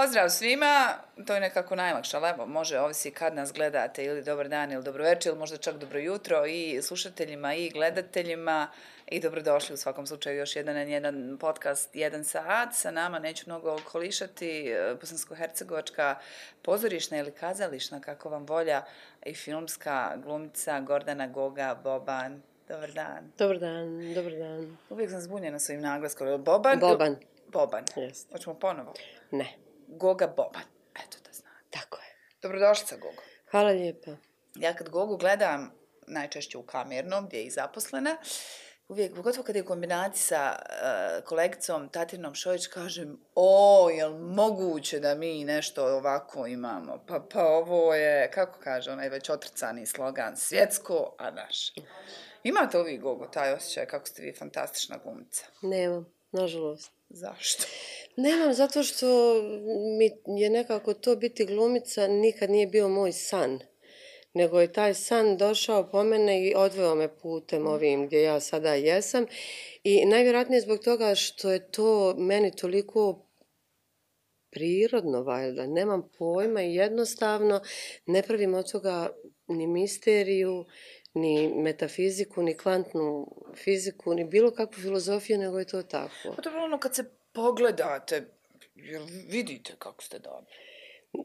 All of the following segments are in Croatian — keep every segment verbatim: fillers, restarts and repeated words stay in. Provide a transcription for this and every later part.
Pozdrav svima, to je nekako najlakše, ali evo, može, ovisi kad nas gledate, ili dobar dan, ili dobro večer, ili možda čak dobro jutro i slušateljima i gledateljima i dobrodošli u svakom slučaju još jedan, jedan podcast, jedan sat. Sa nama neću mnogo okolišati, bosansko-hercegovačka pozorišna ili kazališna, kako vam volja, i filmska glumica Gordana Goga Boban. Dobar dan. Dobar dan, dobar dan. Uvijek sam zbunjena s ovim naglaskom. Boban? Boban. Boban. Jest. Hoćemo ponovo? Ne. Goga Boban. Eto da znam. Tako je. Dobrodošlica, Gogo. Hvala lijepa. Ja kad Gogu gledam, najčešće u Kamernom, gdje je i zaposlena, uvijek, pogotovo kad je u kombinaciji sa uh, kolegicom Tatinom Šojić, kažem, o, jel moguće da mi nešto ovako imamo? Pa, pa ovo je, kako kaže onaj već otrcani slogan, svjetsko, a naše. Imate ovi, Gogo, taj osjećaj kako ste vi fantastična glumica? Nemam, nažalost. Zašto? Nemam, zato što mi je nekako to biti glumica nikad nije bio moj san. Nego je taj san došao po mene i odveo me putem ovim gdje ja sada jesam. I najvjerojatnije zbog toga što je to meni toliko prirodno, valjda. Nemam pojma i jednostavno ne pravim od toga ni misteriju, ni metafiziku, ni kvantnu fiziku, ni bilo kakvu filozofiju, nego je to tako. Pa dobro, ono kad se pogledate, jel vidite kako ste dobri?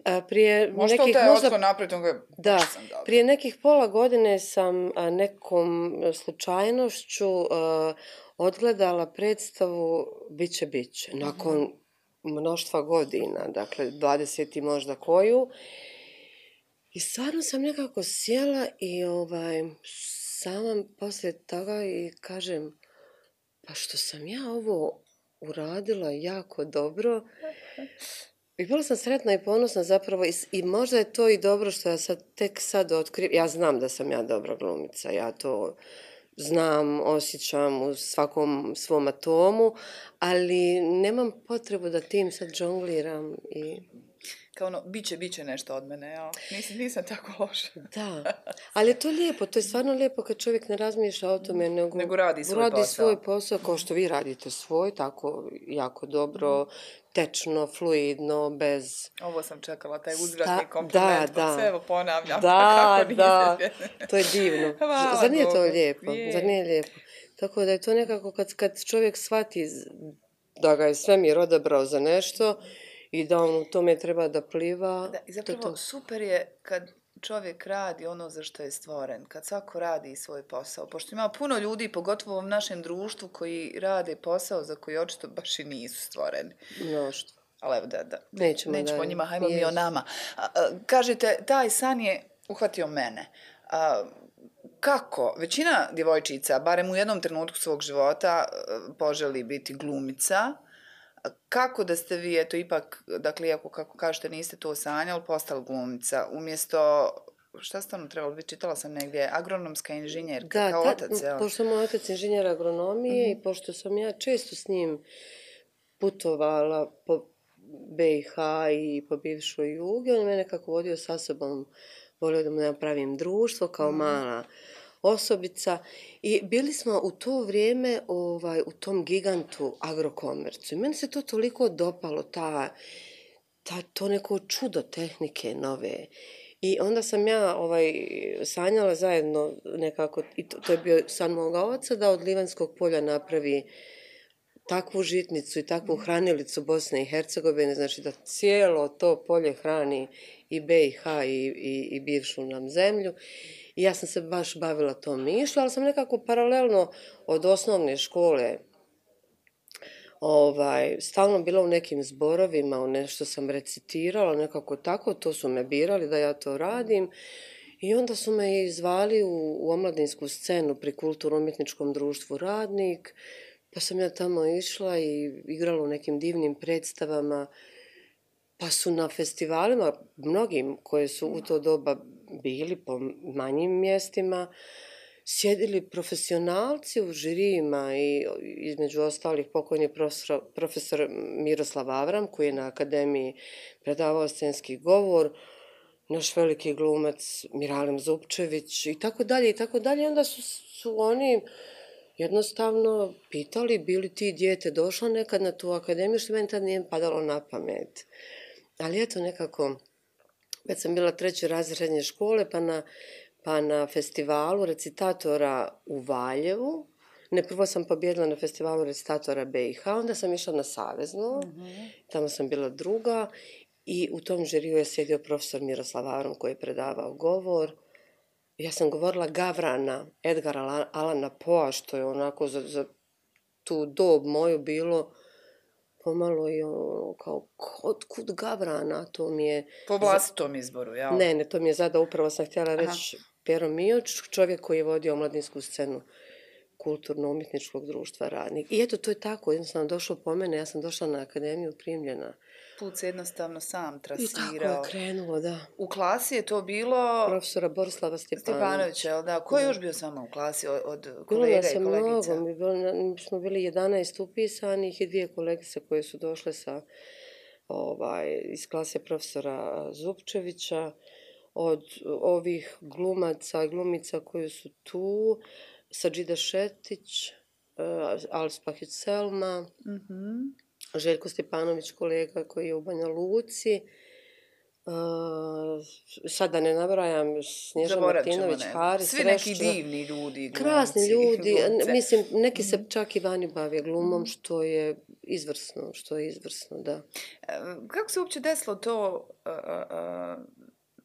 A prije možda nekih, te možda, otko naprijed, on ga da, sam dobra. Prije nekih pola godine sam a, nekom slučajnošću a, odgledala predstavu Biće, biće. Nakon mm-hmm. mnoštva godina, dakle dvadeset i možda koju. I stvarno sam nekako sjela i ovaj, sama poslije toga i kažem, pa što sam ja ovo uradila jako dobro. I bila sam sretna i ponosna zapravo i, i možda je to i dobro što ja sad tek sad otkrivam. Ja znam da sam ja dobra glumica, ja to znam, osjećam u svakom svom atomu, ali nemam potrebu da tim sad žongliram i... Kao ono, biće, biće nešto od mene, ja. Nisam, nisam tako loša. Da, ali je to lijepo, to je stvarno lijepo kad čovjek ne razmišlja o tome, nego, nego radi, svoj, radi posao. svoj posao, kao što vi radite svoj, tako jako dobro, tečno, fluidno, bez... Ovo sam čekala, taj uzvratni kompliment, da, pa sve evo ponavljam. Da, da, to je divno. Hvala, Zar nije to Bogu. lijepo? Je. Zar nije lijepo? Tako da je to nekako kad, kad čovjek shvati da ga je svemir odabrao za nešto, i da on u tome treba da pliva. Da, i zapravo to, to. super je kad čovjek radi ono za što je stvoren, kad svako radi svoj posao. Pošto ima puno ljudi, pogotovo u našem društvu, koji rade posao za koji očito baš i nisu stvoreni. Mnoštvo. Ali evo da, da. Nećemo, Nećemo da, njima, hajmo jest. mi o nama. A, a, kažete, taj san je uhvatio mene. A, kako? Većina djevojčica, barem u jednom trenutku svog života, poželi biti glumica. Kako da ste vi, eto, ipak, dakle, iako, kako kažete, niste to sanjali, postali glumica, umjesto, šta ste ono trebalo biti, čitala sam negdje, agronomska inženjerka, da, kao ta, otac, jel? Pošto moj otac inženjer agronomije mm-hmm. i pošto sam ja često s njim putovala po be i ha i po bivšoj Jugi, on je mene nekako vodio sa sobom, volio da mu napravim društvo kao mm-hmm. mala osobica i bili smo u to vrijeme ovaj, u tom gigantu Agrokomercu i meni se to toliko dopalo, ta, ta, to neko čudo tehnike nove. I onda sam ja ovaj, sanjala zajedno nekako, i to, to je bio san moga oca, da od Livanskog polja napravi takvu žitnicu i takvu hranilicu Bosne i Hercegovine, znači da cijelo to polje hrani i be i ha i, i, i bivšu nam zemlju. I ja sam se baš bavila tom mišlju, ali sam nekako paralelno od osnovne škole ovaj, stalno bila u nekim zborovima, u nešto sam recitirala, nekako tako, to su me birali da ja to radim. I onda su me i zvali u, u omladinsku scenu pri Kulturno-umjetničkom društvu Radnik, pa sam ja tamo išla i igrala u nekim divnim predstavama, pa su na festivalima, mnogim koje su u to doba bili po manjim mjestima, sjedili profesionalci u žirijima i između ostalih pokojni profesor, profesor Miroslav Avram, koji je na akademiji predavao scenski govor, naš veliki glumac Miralem Zupčević i tako dalje i tako dalje. Onda su, su oni jednostavno pitali, bili ti dijete došlo nekad na tu akademiju, što meni tad nije padalo na pamet. Ali eto nekako, već sam bila treći razred srednje škole, pa na, pa na festivalu recitatora u Valjevu. Ne, prvo sam pobjedila na festivalu recitatora B i H, onda sam išla na Savezno, mm-hmm. Tamo sam bila druga i u tom žiriju je sjedio profesor Miroslav Aron koji je predavao govor. Ja sam govorila Gavrana, Edgara Alana Poea, što je onako za, za tu dob moju bilo pomalo i ono, kao, kod, kud Gavrana, to mi je... Po vlastitom izboru, jel? Ne, ne, to mi je zada, upravo sam htjela reći Pero Mioč, čovjek koji je vodio omladinsku scenu kulturno-umjetničkog društva Radnik. I eto, to je tako, jednostavno došlo po mene, ja sam došla na akademiju primljena. Put se jednostavno sam trasirao. I tako je krenulo, da. U klasi je to bilo... Profesora Borislava Stjepanovića. Stjepanovića, jel da? Ko je još bio s vama u klasi od, od kolega i kolegica? Mnogo, mi, bilo, mi smo bili jedanaest upisanih i dvije kolegice koje su došle sa, ovaj, iz klase profesora Zupčevića. Od ovih glumaca i glumica koji su tu, Sadžida Šetić, Alspahić Selma, mm-hmm. Željko Stjepanović, kolega koji je u Banja Luci, uh, sada ne nabrajam, Snježa Martinović, Haris, svi neki divni ljudi, glumci, krasni ljudi, glumce. Mislim, neki se čak i vani bave glumom, što je izvrsno, što je izvrsno, da. Kako se uopće desilo to uh, uh,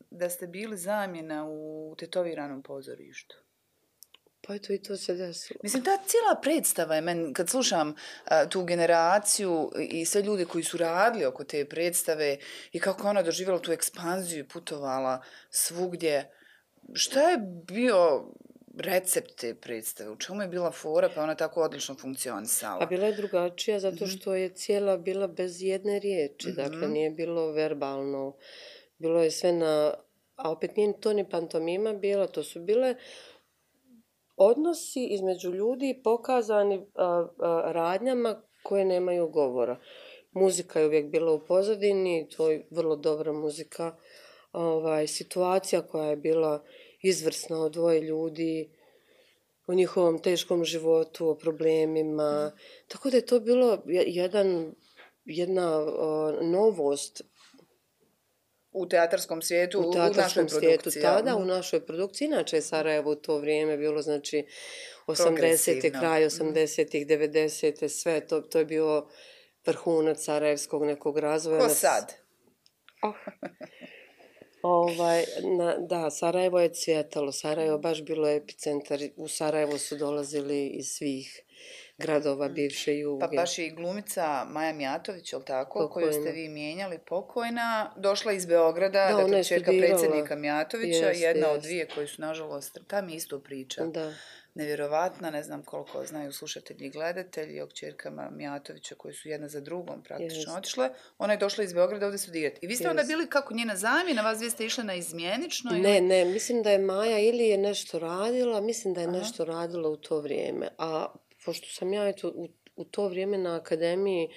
da ste bili zamjena u tetoviranom pozorištu? Pa eto i to se desilo. Mislim, ta cijela predstava je meni, kad slušam uh, tu generaciju i sve ljude koji su radili oko te predstave i kako ona doživjela tu ekspanziju i putovala svugdje, šta je bio recept te predstave? U čemu je bila fora pa ona tako odlično funkcionisala? Pa bila je drugačija zato što je cijela bila bez jedne riječi, mm-hmm. dakle nije bilo verbalno, bilo je sve na, a opet nije to ni pantomima bila, to su bile odnosi između ljudi pokazani a, a, radnjama koje nemaju govora. Muzika je uvijek bila u pozadini, to je vrlo dobra muzika. Ovaj, situacija koja je bila izvrsna od dvoje ljudi, o njihovom teškom životu, o problemima. Mm. Tako da je to bilo jedan, jedna a, novost. U teatarskom svijetu, u, teatarskom u našoj svijetu, produkciji. Tada, u našoj produkciji. Inače je Sarajevo u to vrijeme bilo, znači, osamdesete, kraj osamdesetih, devedesete, sve, to, to je bio vrhunac sarajevskog nekog razvoja. Ko sad? Oh. ovaj, na, da, Sarajevo je cvjetalo, Sarajevo baš bilo epicentar, u Sarajevo su dolazili iz svih gradova bivše Juge. Pa baš i glumica Maja Mijatović, jel tako, pokojna. Koju ste vi mijenjali, pokojna, došla iz Beograda, da, dakle čerka predsjednika Mijatovića, jest, jedna jest. od dvije koji su, nažalost, ta mi isto priča. Da. Nevjerovatna, ne znam koliko znaju slušatelji i gledatelji, o kćerkama Mijatovića koji su jedna za drugom praktično yes. otišle. Ona je došla iz Beograda ovdje studirati. I vi ste yes. onda bili kako njena zamjena, vas dvije ste išle na izmjenično? Ne, ili? ne, mislim da je Maja ili je nešto radila, mislim da je Aha. nešto radila u to vrijeme. A pošto sam ja eto, u, u to vrijeme na akademiji,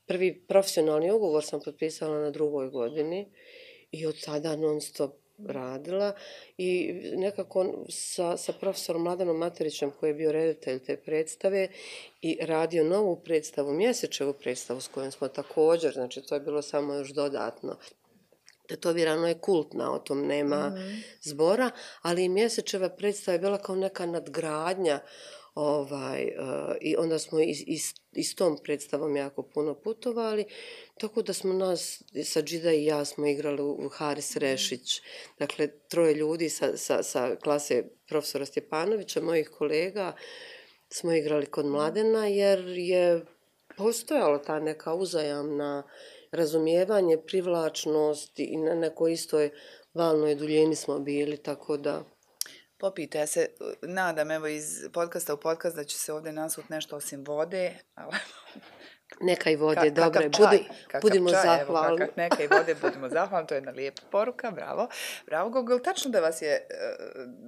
prvi profesionalni ugovor sam potpisala na drugoj godini i od tada non stop radila i nekako sa, sa profesorom Mladenom Materićem koji je bio reditelj te predstave i radio novu predstavu, mjesečevu predstavu s kojom smo također, znači to je bilo samo još dodatno. Tetovirano je kultna, o tom nema mm-hmm. zbora, ali i mjesečeva predstava je bila kao neka nadgradnja. Ovaj, uh, i onda smo i, i, i s tom predstavom jako puno putovali, tako da smo nas, Sadžida i ja smo igrali u, u Haris Rešić, dakle troje ljudi sa, sa, sa klase profesora Stjepanovića, mojih kolega, smo igrali kod Mladena jer je postojala ta neka uzajamna razumijevanje, privlačnost i na nekoj istoj valnoj duljini smo bili, tako da... Popite, ja se nadam evo iz podcasta u podcast da će se ovdje nasut nešto osim vode, ali... Neka i vode, Ka, dobre, čaj, Budi, budimo čaj, zahvalni. Evo, kakav, neka i vode, budimo zahvalni, to je jedna lijepa poruka, bravo. Bravo, Gogol, tačno da vas je,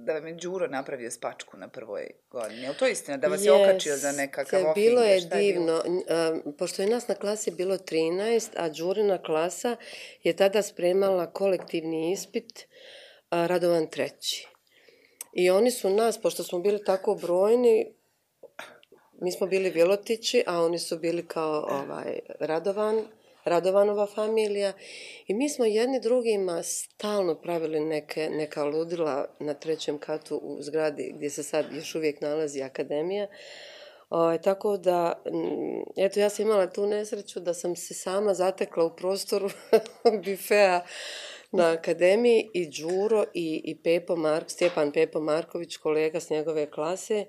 da vam je Đuro napravio spačku na prvoj godini, je li to istina, da vas yes, je okačio za nekakav ofinge? Bilo je divno, je pošto je nas na klasi bilo trinaest, a Đurina klasa je tada spremala kolektivni ispit Radovan treći. I oni su nas, pošto smo bili tako brojni, mi smo bili Vjelotići, a oni su bili kao ovaj, Radovan, Radovanova familija i mi smo jedni drugima stalno pravili neke, neka ludila na trećem katu u zgradi gdje se sad još uvijek nalazi akademija. O, tako da, eto, ja sam imala tu nesreću da sam se sama zatekla u prostoru bifea na akademiji i Đuro i, i Pepo Mark, Stjepan Pepo Marković, kolega s njegove klase,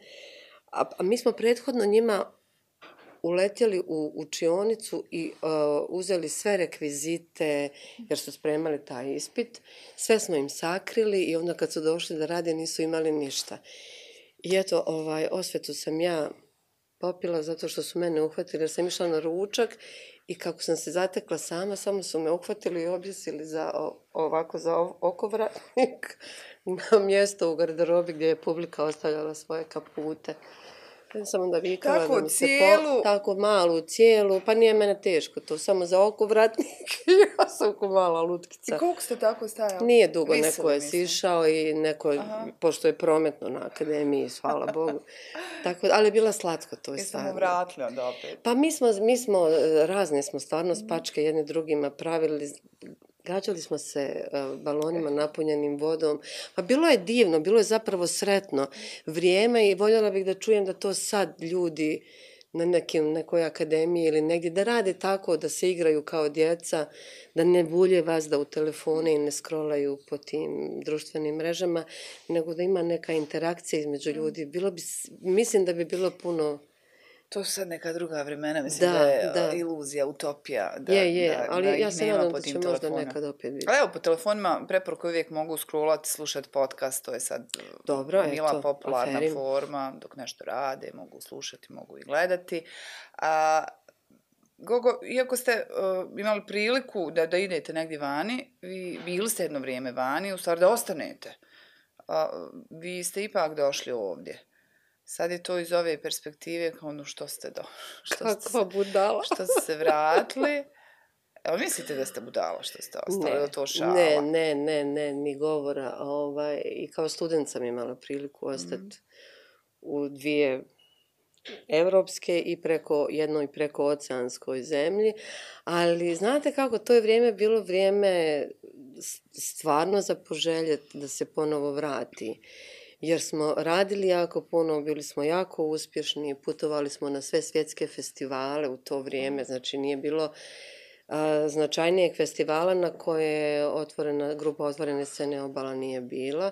a, a mi smo prethodno njima uletjeli u učionicu i uh, uzeli sve rekvizite jer su spremali taj ispit. Sve smo im sakrili i onda kad su došli da rade nisu imali ništa. I eto, ovaj, osvetu sam ja popila zato što su mene uhvatili jer sam išla na ručak i kako sam se zatekla sama, samo su me uhvatili i objesili za, ovako za okovratnik na mjesto u garderobi gdje je publika ostavljala svoje kapute. Ja sam onda vikala tako, da mi se cijelu... po, tako malu, cijelu, pa nije mene teško to, samo za okovratnik i ja sam ko mala lutkica. I koliko ste tako stajali? Nije dugo, Visili, neko je mislim. sišao i neko, Aha. pošto je prometno na akademiji, hvala Bogu. Tako, ali je bila slatko to. Jeste mu vratili onda opet? Pa mi smo, mi smo, razne smo stvarno spačke jedne drugima pravili, gađali smo se uh, balonima napunjenim vodom. Pa bilo je divno, bilo je zapravo sretno vrijeme i voljela bih da čujem da to sad ljudi na nekim, nekoj akademiji ili negdje da rade tako, da se igraju kao djeca, da ne bulje vas da u telefone i ne scrollaju po tim društvenim mrežama, nego da ima neka interakcija između ljudi. Bilo bi, mislim da bi bilo puno... To su sad neka druga vremena, mislim da, da je da. iluzija, utopija. Da, je, je, da, ali da ja se nadam da će možda telefona. nekad opet biti. A evo, po telefonima preporuku uvijek mogu scrollati, slušati podcast, to je sad Dobro, mila eto, popularna oferim. forma, dok nešto rade, mogu slušati, mogu i gledati. A, Gogo, iako ste uh, imali priliku da, da idete negdje vani, vi bili ste jedno vrijeme vani, u stvari da ostanete. A, vi ste ipak došli ovdje. Sad je to iz ove perspektive kao ono što ste do... Što Kakva ste, budala. što ste se vratili. Evo, mislite da ste budala što ste ostali, da to šala? Ne, ne, ne, ne, ni govora. Ovaj, i kao student sam imala priliku ostati mm. u dvije evropske i preko jednoj preko oceanskoj zemlji, ali znate kako, to je vrijeme bilo vrijeme stvarno za poželjeti da se ponovo vrati. Jer smo radili jako puno, bili smo jako uspješni, putovali smo na sve svjetske festivale u to vrijeme, znači nije bilo a, značajnijeg festivala na koje je otvorena, grupa otvorene scene Obala nije bila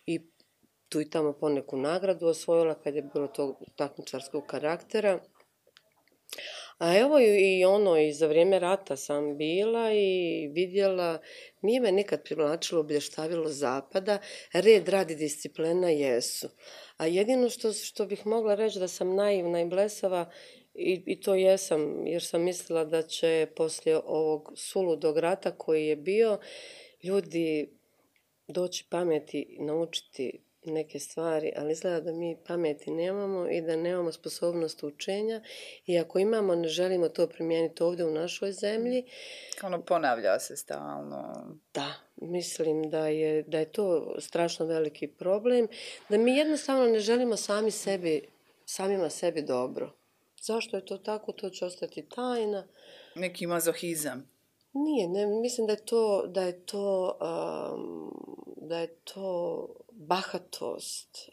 i tu i tamo poneku nagradu osvojila kad je bilo tog takmičarskog karaktera. A evo i ono, i za vrijeme rata sam bila i vidjela, nije me nikad privlačilo blještavilo zapada, red, rad i disciplina jesu. A jedino što, što bih mogla reći da sam naivna i blesava, i, i to jesam, jer sam mislila da će poslije ovog suludog rata koji je bio, ljudi doći pameti, naučiti neke stvari, ali izgleda da mi pameti nemamo i da nemamo sposobnost učenja i ako imamo, ne želimo to primijeniti ovdje u našoj zemlji. Ono ponavlja se stalno. Da, mislim da je, da je to strašno veliki problem, da mi jednostavno ne želimo sami sebi, samima sebi dobro. Zašto je to tako, to će ostati tajna. Neki mazohizam. Nije, ne, mislim da je to, da je to, um, da je to bahatost,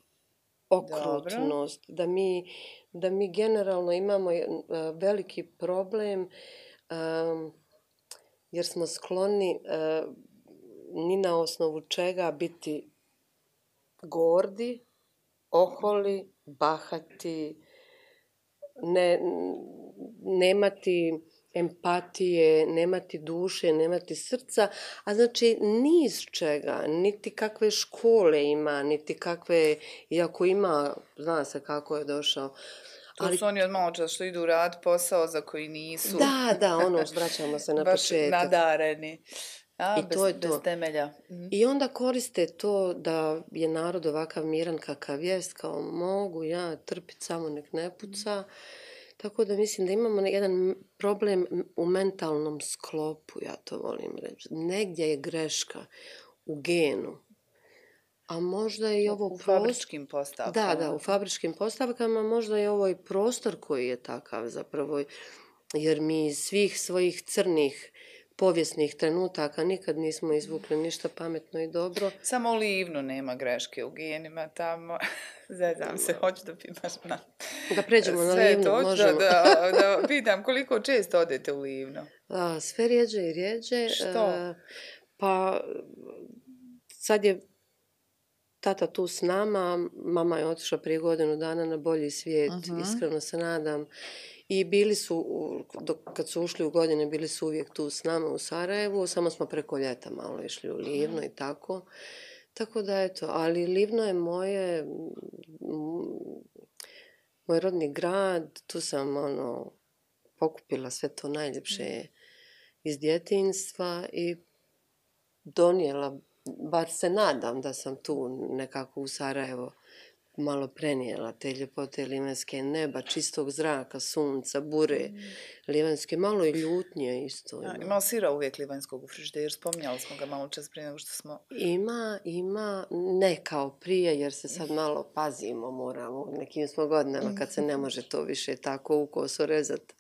okrutnost, da mi, da mi generalno imamo uh, veliki problem um, jer smo skloni uh, ni na osnovu čega biti gordi, oholi, bahati, ne, nemati empatije, nemati duše, nemati srca, a znači niz čega, niti kakve škole ima, niti kakve, iako ima, zna se kako je došao. To ali su oni od malo čas što idu rad posao za koji nisu. Da, da, ono, vraćamo se na baš početak. Nadareni. A, I bez, to je bez to. temelja. Mhm. I onda koriste to da je narod ovakav miran kakav jest, kao mogu ja trpiti, samo nek ne puca. Tako da mislim da imamo jedan problem u mentalnom sklopu, ja to volim reći. Negdje je greška u genu. A možda je i ovo u prostor... fabričkim postavkama. Da, da, u fabričkim postavkama možda je ovo i prostor koji je takav zapravo. jer mi iz svih svojih crnih povijesnih trenutaka nikad nismo izvukli ništa pametno i dobro. Samo u Livnu nema greške u genima tamo. Zezam se, hoću da pimaš na... Da pređemo na Sve Livnu, to, možemo. Da, da, da pitam koliko često odete u Livnu? A, sve rijeđe i rijeđe. Što? E, pa sad je tata tu s nama, mama je otišla prije godinu dana na bolji svijet, Uh-huh. iskreno se nadam. I bili su, u- dok, kad su ušli u godine, bili su uvijek tu s nama u Sarajevu, samo smo preko ljeta malo išli u Livno i tako. Tako da eto, ali Livno je moje, m, moj rodni grad, tu sam ono, pokupila sve to najljepše iz djetinjstva i donijela, bar se nadam da sam tu nekako u Sarajevo malo prenijela te ljepote livanjske neba, čistog zraka, sunca, bure, livanjske, malo i ljutnje isto. Ja, Ima, imao sira uvijek livanjskog u frižideru, spominjali smo ga malo čas prije nego što smo... ima, ima, ne kao prije, jer se sad malo pazimo, moramo, u nekim smo godinama kad se ne može to više tako u kosu rezat,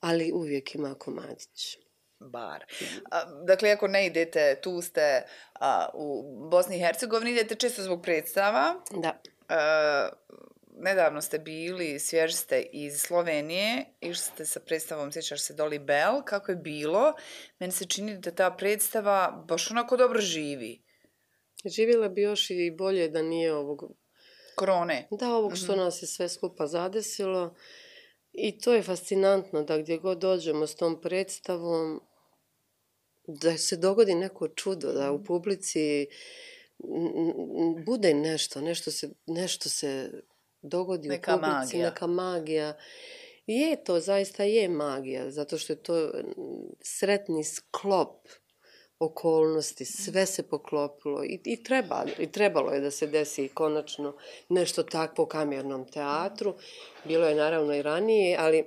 ali uvijek ima komadić. Bar. A, dakle, ako ne idete, tu ste a, u Bosni i Hercegovini, idete često zbog predstava. Da. A, nedavno ste bili, svježi ste iz Slovenije, išli ste sa predstavom, sjećaš se, Dolly Bell, kako je bilo. Meni se čini da ta predstava baš onako dobro živi. Živjela bi još i bolje da nije ovog, Korone. da ovog što nas je sve skupa zadesilo. I to je fascinantno da gdje god dođemo s tom predstavom, da se dogodi neko čudo, da u publici n- n- bude nešto, nešto se, nešto se dogodi Neka u publici, magija. neka magija. Je to, zaista je magija, zato što je to mm, sretni sklop okolnosti, sve se poklopilo i, i, treba, i trebalo je da se desi konačno nešto takvo u kamernom teatru. Bilo je naravno i ranije, ali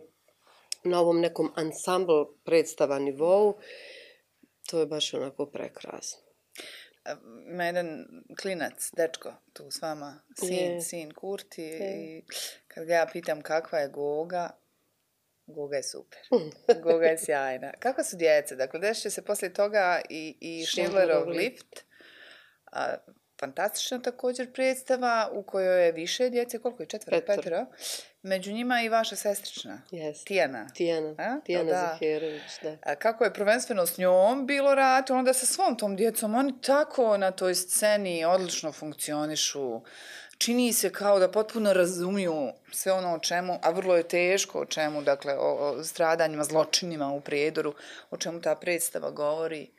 na ovom nekom ansambl predstava nivou, to je baš onako prekrasno. Ima jedan klinac, dečko, tu s vama, sin, Je. sin Kurti, Je. i kad ga ja pitam kakva je Goga, Goga je super. Goga je sjajna. Kako su djece? Dakle, desit će se poslije toga i, i Schindlerov Schindlerov lift. A, fantastična također predstava u kojoj je više djece, koliko je, četvero, Petoro. petero. Među njima i vaša sestrična, Yes. Tijana. Tijana, A? Tijana Da. Zahirović, da. A kako je prvenstveno s njom bilo rad, onda sa svom tom djecom, oni tako na toj sceni odlično funkcionišu. Čini se kao da potpuno razumiju sve ono o čemu, a vrlo je teško o čemu, dakle, o, o stradanjima, zločinima u Prijedoru, o čemu ta predstava govori.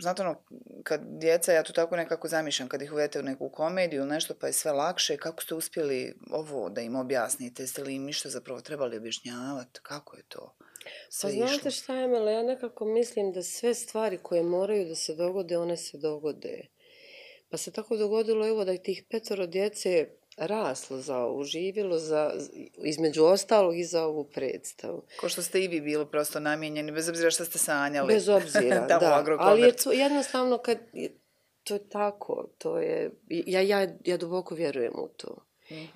Znate ono, kad djeca, ja to tako nekako zamišljam, kad ih uvedete u neku komediju ili nešto, pa je sve lakše, kako ste uspjeli ovo da im objasnite? Jeste li im ništa zapravo trebali objašnjavati? Kako je to Pa sve znate išlo? šta je, Mele, ja nekako mislim da sve stvari koje moraju da se dogode, one se dogode. Pa se tako dogodilo, evo, da je tih petoro djece raslo za ovu, živjelo za, između ostalog i za ovu predstavu. Ko što ste i vi bili prosto namijenjeni, bez obzira što ste sanjali. Bez obzira, Tamo u da. Agrokomercu. Ali je to jednostavno kad, je- to je tako, to je, ja, ja, ja duboko vjerujem u to.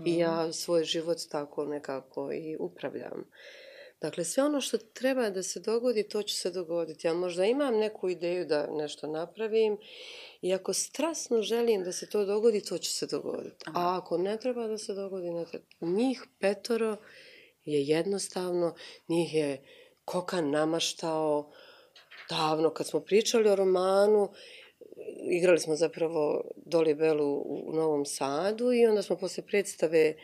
I ja svoj život tako nekako i upravljam. Dakle, sve ono što treba da se dogodi, to će se dogoditi. Ja možda imam neku ideju da nešto napravim i ako strasno želim da se to dogodi, to će se dogoditi. A ako ne treba da se dogodi, ne treba. Njih petoro je jednostavno, njih je Kokan namaštao davno kad smo pričali o romanu. Igrali smo zapravo Dolly Bellu u Novom Sadu i onda smo posle predstave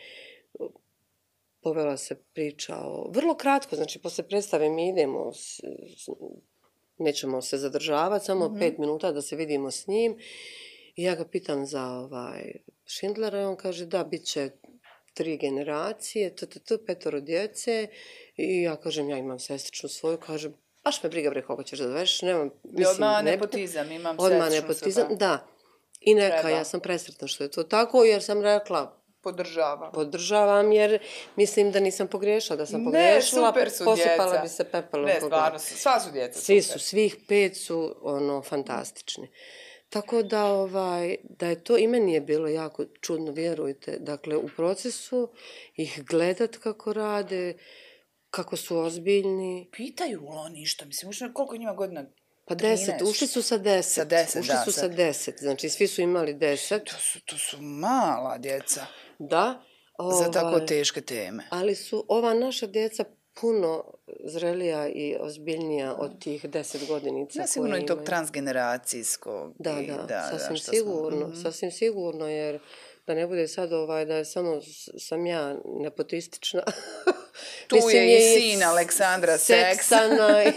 povela se priča o... Vrlo kratko, znači posle predstave mi idemo, s, s, nećemo se zadržavati, samo mm-hmm. pet minuta da se vidimo s njim. I ja ga pitam za ovaj Schindlera i on kaže da, bit će tri generacije, t, t, t, petoro djece. I ja kažem, ja imam sestričnu svoju, kažem, baš me briga bre koga ćeš da doveš, nemam... I odmah nepotizam, imam odmah sestričnu nepotizam, svoju. Da. I neka, Treba. ja sam presretna što je to tako, jer sam rekla, Podržavam. podržavam jer mislim da nisam pogriješila, da sam Ne, pogriješila, super su posipala djeca. bi se pepelom. Ne, po stvarno, glavi. su- sva su djeca Svi super. su, svih pet su ono fantastični. Tako da, ovaj, da je to i meni je bilo jako čudno, vjerujte. Dakle, u procesu ih gledat kako rade, kako su ozbiljni. Pitaju li oni što? Mislim, ušli koliko njima godina? Pa deset, ušli su sa deset. Sa deset, ušli da, su sa- sa deset, znači svi su imali deset. To su, to su mala djeca Da. za tako ovaj, teške teme. Ali su ova naša djeca puno zrelija i ozbiljnija od tih deset godinica Ja sigurno koje i tog imaju. transgeneracijskog. Da, i- da, sasvim što smo- sigurno, Mhm. sasvim sigurno, jer da ne bude sad ovaj, da je samo s- sam ja nepotistična. Tu Mislim, je i i sin Aleksandra Seks. Seksana i,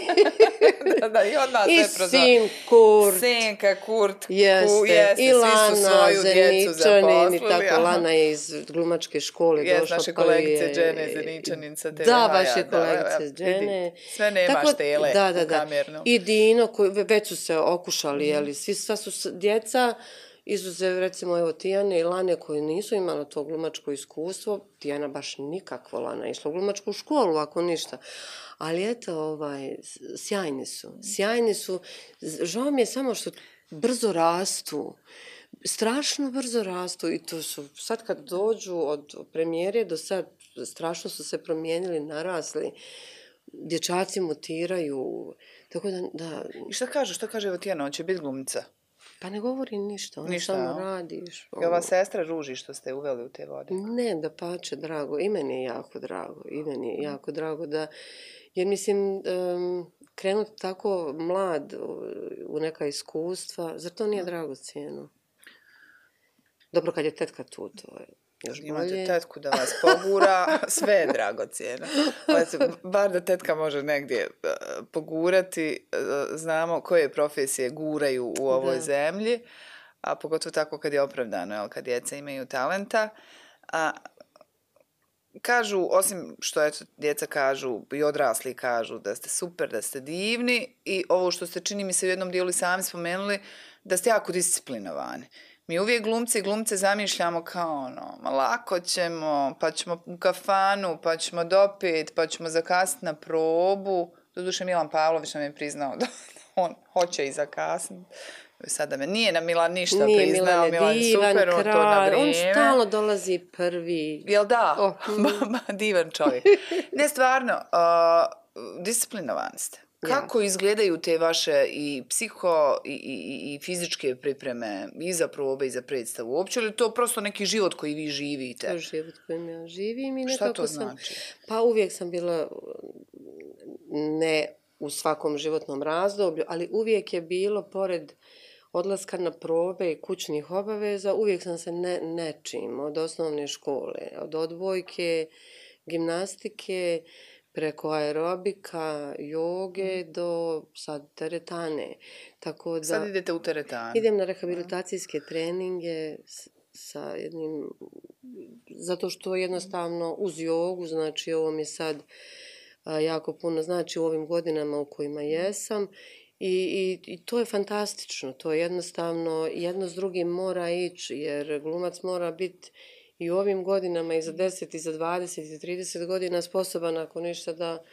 da, da, i odmah i sve prozva. sin Kurt. Senka, Kurt, Jeste, ku, jeste, i svi su Lana svoju djecu Zeničanin i zaposlili. tako, aha. Lana je iz glumačke škole Jes, došla. naše pa ju kolegice je- Džene Zeničanin sa te ve Da, ha-ja, vaše da, kolegice vidi, Džene. Sve nema Tako- štele da, da, u da. kamernu. I Dino, koji ve- već su se okušali, Mhm. jeli, svi, sva su s- djeca, izuzev recimo evo Tijane i Lane koji nisu imala to glumačko iskustvo, Tijana baš nikakvo, Lana je išla u glumačku školu, ako ništa. Ali eto, ovaj, s- sjajni su, sjajni su. Z- Žao mi je samo što brzo rastu, strašno brzo rastu i to su, sad kad dođu od premijere do sad, strašno su se promijenili, narasli. Dječaci mutiraju, tako da, da I šta kaže, šta kaže evo Tijana, hoće biti glumca? pa ne govori ništa, ona Ništa, samo a? radiš. I ova sestra ruži što ste je uveli u te vode. Ne, da pače, drago. I meni je jako drago. I meni je jako drago da... Jer mislim, um, krenuti tako mlad u, u neka iskustva, zar to nije dragocjeno? Dobro, kad je tetka tu, to je još Imate bolje. tetku da vas pogura, sve je dragocjeno. Ali se- bar da tetka može negdje e, pogurati, e, znamo koje profesije guraju u ovoj Da. zemlji, a pogotovo tako kad je opravdano, jel, kad djeca imaju talenta. A kažu, osim što eto, djeca kažu i odrasli kažu da ste super, da ste divni i ovo što ste čini mi se u jednom dijelu i sami spomenuli, da ste jako disciplinovani. Mi uvijek glumci i glumce zamišljamo kao ono, ma lako ćemo, pa ćemo u kafanu, pa ćemo dopit, pa ćemo zakasniti na probu. Doduše Milan Pavlović nam je priznao da on hoće i zakasniti. Sada me nije na Milan ništa Nije priznao, Milan je Milan je divan super, on to na kralj, on vrijeme. stalno dolazi prvi. Jel da? Oh, Divan čovjek. Ne, stvarno, uh, disciplinovani ste. Kako izgledaju te vaše i psiho i, i, i fizičke pripreme i za probe i za predstavu? Uopće li je to prosto neki život koji vi živite? To je život kojim ja živim i Šta nekako to sam... znači? Pa uvijek sam bila, ne u svakom životnom razdoblju, ali uvijek je bilo, pored odlaska na probe i kućnih obaveza, uvijek sam se ne, nečim od osnovne škole, od odbojke, gimnastike, preko aerobika, joge do sad teretane. Tako da Sad idete u teretanu. idem na rehabilitacijske treninge s- sa jednim, zato što jednostavno uz jogu, znači ovo mi sad a, jako puno znači u ovim godinama u kojima jesam i, i, i to je fantastično, to je jednostavno, jedno s drugim mora ići, jer glumac mora biti i u ovim godinama i za deset i za dvadeset i trideset godina sposoban ako ništa da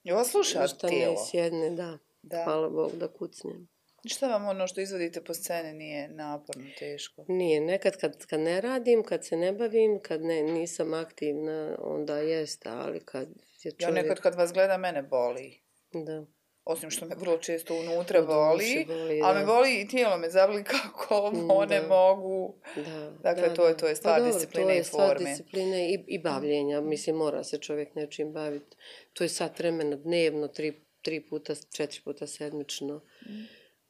Jel vas sluša ništa ne tijelo? sjedne, da. Da. Hvala Bogu da kucnem. Šta vam ono što izvodite po sceni nije naporno, teško? Nije, nekad kad, kad ne radim, kad se ne bavim, kad ne, nisam aktivna, onda jeste, ali kad je Ja čovjek... nekad kad vas gleda, mene boli. Da. Osim što me vrlo često unutra U duši boli, boli, ali da. me boli i tijelo me zaboli kako ovo ne Da. mogu. Da, Dakle, da, to je- da. to je stvar Pa dobro, discipline to je i stvar forme. discipline i, i bavljenja. Mislim, mora se čovjek nečim baviti. To je sat vremena dnevno, tri, tri puta, četiri puta sedmično.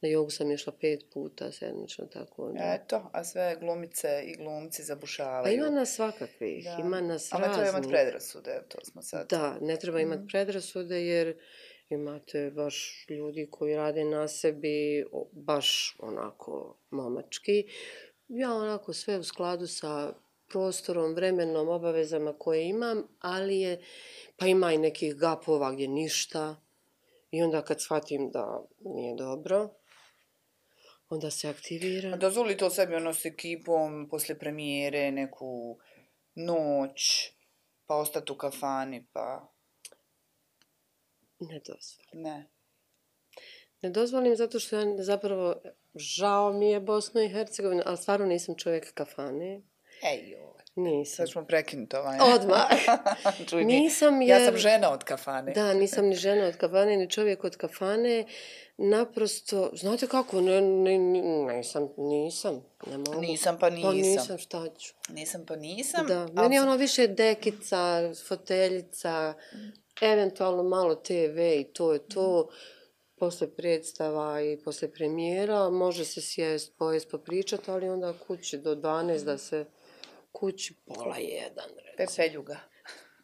Na jogu sam išla pet puta sedmično, tako da. Eto, a sve glumice i glumci Pa zabušavaju. ima nas svakakvih, Da. ima nas Ali ne treba imati raznih. predrasude, to smo sad. Da, ne treba imati predrasude jer imate baš ljudi koji rade na sebi o, baš onako momački. Ja onako sve u skladu sa prostorom, vremenom, obavezama koje imam, ali je, pa ima i nekih gapova gdje ništa. I onda kad shvatim da nije dobro, onda se A aktiviram. dozvoli to sebi ono s ekipom, poslije premijere, neku noć, pa ostati u kafani, pa Ne dozvolim. ne. Ne dozvolim zato što ja zapravo, žao mi je Bosna i Hercegovina, ali stvarno nisam čovjek kafane. Ej, joj. Nisam. Sad ćemo prekinuti ovaj. Odmah. Čuj, Nisam ja jer... sam žena od kafane. Da, nisam ni žena od kafane, ni čovjek od kafane. Naprosto, znate kako, ne, ne, nisam, nisam, ne mogu. Nisam pa nisam. Pa nisam, šta ću. Nisam pa nisam. Da, meni je ono više dekica, foteljica, eventualno malo te ve i to je to. Posle predstava i posle premijera može se sjest, pojest, popričat, ali onda kući do dvanaest da se kući pola jedan, recimo. Pepeljuga.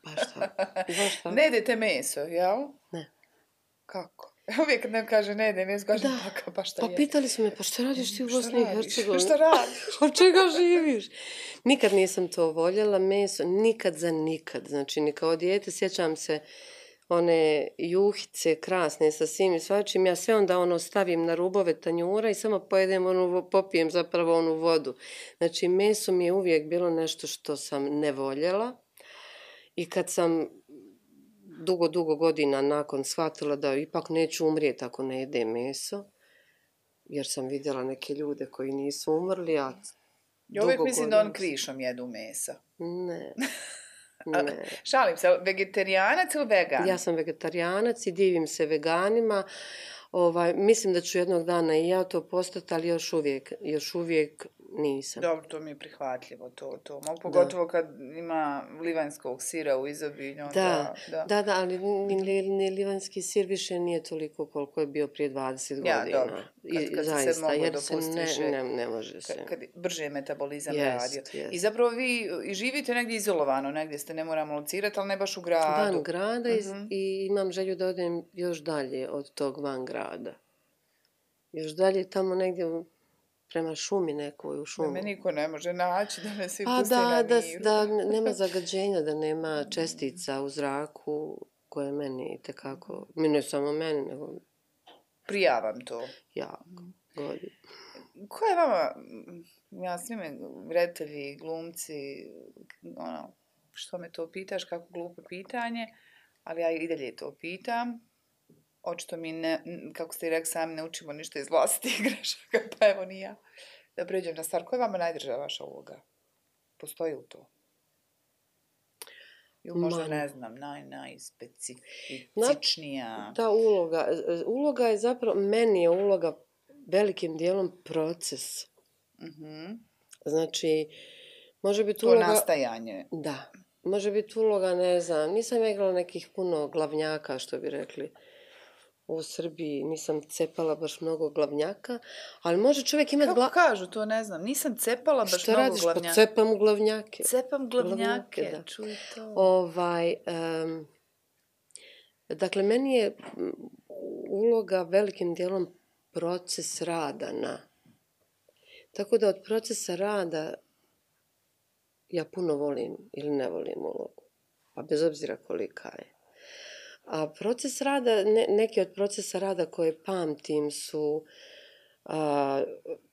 Baš tako. Baš tako. Ne jedete meso, jel? Ne. Kako? Uvijek kad nam kaže ne jede meso, kažem Da. pa, pa šta Pa je? pitali su me, pa šta radiš ti u Šta Bosni i radiš? Hercegovini? Šta radiš? Od čega živiš? Nikad nisam to voljela, meso, nikad za nikad. Znači, ni kao dijete, sjećam se one juhice krasne sa svim i svačim, ja sve onda ono stavim na rubove tanjura i samo pojedem onu, popijem zapravo onu vodu. Znači, meso mi je uvijek bilo nešto što sam ne voljela i kad sam dugo, dugo godina nakon shvatila da ipak neću umrijeti ako ne jedem meso, jer sam vidjela neke ljude koji nisu umrli, a Ja uvijek dugo mislim da on godina- krišom jedu mesa. Ne, A, ne. šalim se, vegetarijanac ili vegan? Ja sam vegetarijanac i divim se veganima. Ovaj, mislim da ću jednog dana i ja to postati, ali još uvijek, još uvijek nisam. Dobro, to mi je prihvatljivo, to, to. Mogu pogotovo kad ima livanjskog sira u izobilju, onda... Da, da. da, da, ali ni, ni, ni livanjski sir više nije toliko koliko je bio prije dvadeset Ja, godina. dobro. Kad- I, kad se sve zaista, moglo jer se dopustiti ne, više. ne, ne može se. Kad, kad brže je metabolizam Jest, radio. jest. I zapravo vi i živite negdje izolovano, negdje ste, ne moramo locirati, ali ne baš u gradu. Van grada i- Mhm. i imam želju da odem još dalje od tog van grada. Još dalje tamo negdje u- prema šumi nekoj u Da šumu. me niko ne može naći, da me svi Pa pusti na da, da, miru. da nema zagađenja, da nema čestica u zraku koje meni tekako, mi ne samo meni, nego Prijavam to. jako godi. Ko je vama, ja svi me reditelji, glumci, ono, što me to pitaš, kako glupo pitanje, ali ja i dalje to pitam. Očito mi, ne, kako ste i rekli, sami ne učimo ništa iz vlastitih grešaka, pa evo ni ja. Da pređem na stvar, koja je vama najdraža vaša uloga? Postoji li to? Ili možda, Ma, ne znam, naj, najspecifičnija? Ta uloga, uloga je zapravo, meni je uloga velikim dijelom proces. Mhm. Znači, može biti To uloga... nastajanje. Da, može biti uloga, ne znam, nisam ja igrala nekih puno glavnjaka, što bi rekli. U Srbiji nisam cepala baš mnogo glavnjaka, ali može čovjek imati Kako gla... kažu, to ne znam. Nisam cepala baš Što mnogo radiš? Pa glavnjaka. cepam u glavnjake. Cepam glavnjake, Glavnjake, da. čuj to. Ovaj, em, dakle, meni je m, uloga velikim dijelom proces rada na. Tako da od procesa rada ja puno volim ili ne volim ulogu. Pa bez obzira kolika je. A proces rada, ne, neki od procesa rada koje pamtim su a,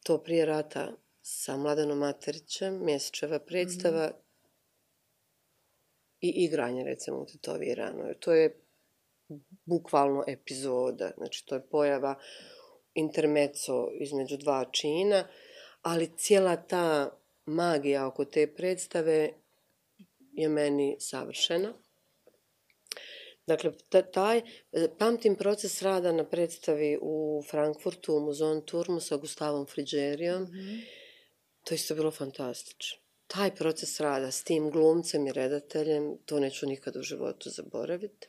to prije rata sa Mladenom Materićem, Mjesečeva predstava Mhm. i igranje, recimo, u Tetoviranoj. To je bukvalno epizoda, znači to je pojava intermeco između dva čina, ali cijela ta magija oko te predstave je meni savršena. Dakle, ta- taj, e, pamtim proces rada na predstavi u Frankfurtu, u Muzon Turmu sa Gustavom Frigerijom. Mhm. To je isto bilo fantastično. Taj proces rada s tim glumcem i redateljem, to neću nikad u životu zaboraviti.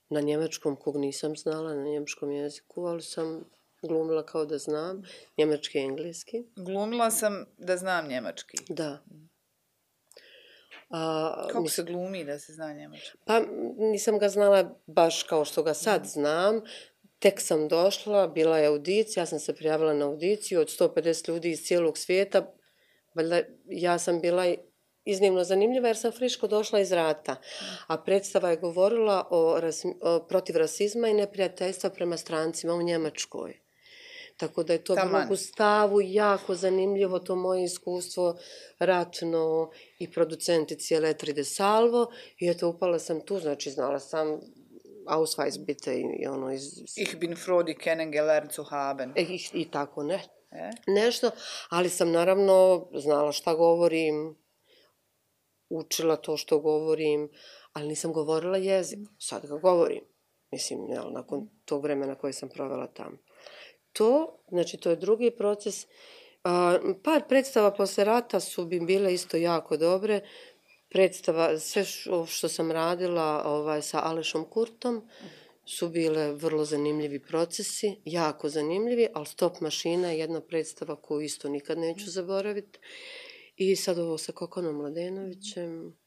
Na njemačkom, kog nisam znala, na njemačkom jeziku, ali sam glumila kao da znam, njemački i engleski. Glumila sam da znam njemački. Da. A, Kako mis- se glumi da se zna njemački? Pa m, nisam ga znala baš kao što ga sad znam. Tek sam došla, bila je audicija, ja sam se prijavila na audiciju od sto pedeset ljudi iz cijelog svijeta. Valjda ja sam bila iznimno zanimljiva jer sam friško došla iz rata. A predstava je govorila o, ras- o protiv rasizma i neprijateljstva prema strancima u Njemačkoj. Tako da je to bilo Taman. Gustavu jako zanimljivo, to moje iskustvo ratno i producentici Eletri de Salvo. I eto, upala sam tu, znači znala sam Ausweisbitte i, i ono iz... Ich bin froh, die kennen gelernt zu haben. E, i, i tako ne. E? Nešto, ali sam naravno znala šta govorim, učila to što govorim, ali nisam govorila jezik. Sad ga govorim. Mislim, jel, nakon tog vremena koje sam provela tamo. To, znači, to je drugi proces. A, par predstava posle rata su bi bile isto jako dobre. Predstava, sve što, što sam radila ovaj, sa Alešom Kurtom su bile vrlo zanimljivi procesi, jako zanimljivi, ali Stop mašina je jedna predstava koju isto nikad neću zaboraviti. I sad ovo sa Kokonom Mladenovićem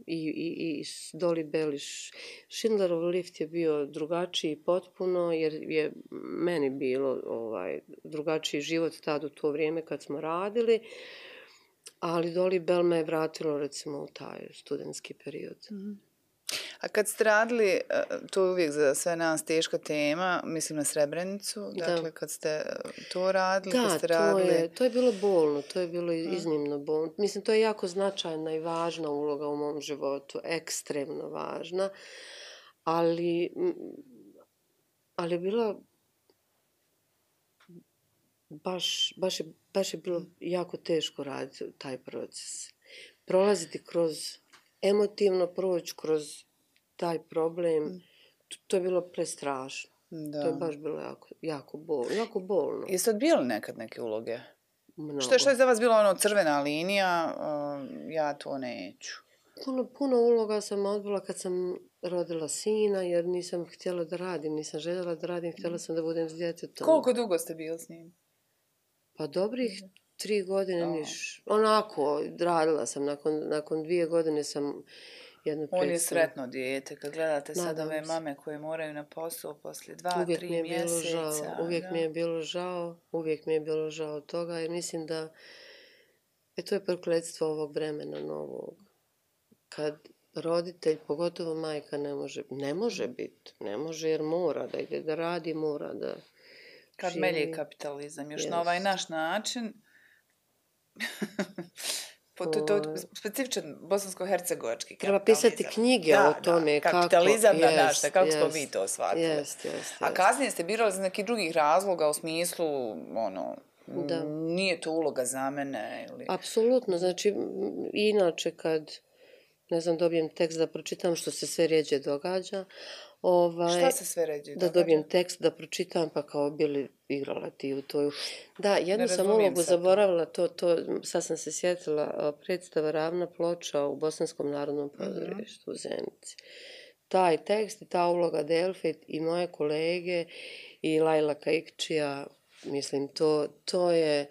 i, i, i Doli Beliš. Schindlerov lift je bio drugačiji potpuno, jer je meni bilo ovaj, drugačiji život tad u to vrijeme kad smo radili, ali Doli Bell me je vratilo recimo u taj studentski period. Mm-hmm. A kad ste radili, to je uvijek za sve nas teška tema, mislim na Srebrenicu, dakle da. Kad ste to radili, da, kad ste radili... to je, to je bilo bolno, to je bilo iznimno bolno. Mislim, to je jako značajna i važna uloga u mom životu, ekstremno važna, ali, ali je bila, baš, baš, je, baš je bilo jako teško raditi taj proces. Prolaziti kroz, emotivno proći kroz taj problem, mm. to, to je bilo prestrašno. Da. To je baš bilo jako, jako bolno. Jako bolno. Jeste odbijali nekad neke uloge? Mnogo. Što, što je za vas bilo ono crvena linija, uh, ja to neću? Puno, puno uloga sam odbila kad sam rodila sina, jer nisam htjela da radim, nisam željela da radim, htjela sam da budem s djetetom. Koliko dugo ste bili s njim? Pa dobrih tri godine, niš. Onako, radila sam, nakon, nakon dvije godine sam jednu predstavu. On je sretno dijete, kad gledate sad ove mame koje moraju na posao poslije dva, uvijek tri mi je mjeseca. Bilo žao, uvijek da. mi je bilo žao, uvijek mi je bilo žao toga, jer mislim da e, to je prokletstvo ovog vremena novog. Kad roditelj, pogotovo majka, ne može, ne može biti, ne može jer mora da ide da radi, mora da kad živi. Melje kapitalizam, još yes. na ovaj naš način. Po to, to specifičan bosansko-hercegovački kapitalizam. Treba pisati knjige da, o tome da, kako. Kapitalizam na yes, naš, kako yes, smo mi to shvatili. Yes, yes, yes. A kasnije ste birali iz nekih drugih razloga u smislu, ono, da. Nije to uloga za mene. Ili... Apsolutno, znači, inače kad, ne znam, dobijem tekst da pročitam, što se sve rijeđe događa. Ovaj, Šta se sve ređe? Da dobijem tekst da pročitam, pa kao bili igrala ti u toju. Da, jednu sam ulogu zaboravila, to, to, sad sam se sjetila, predstava Ravna ploča u Bosanskom narodnom pozorištu u Zenici. Taj tekst i ta uloga Delfe i moje kolege i Lajla Kaikčija, mislim, to, to je...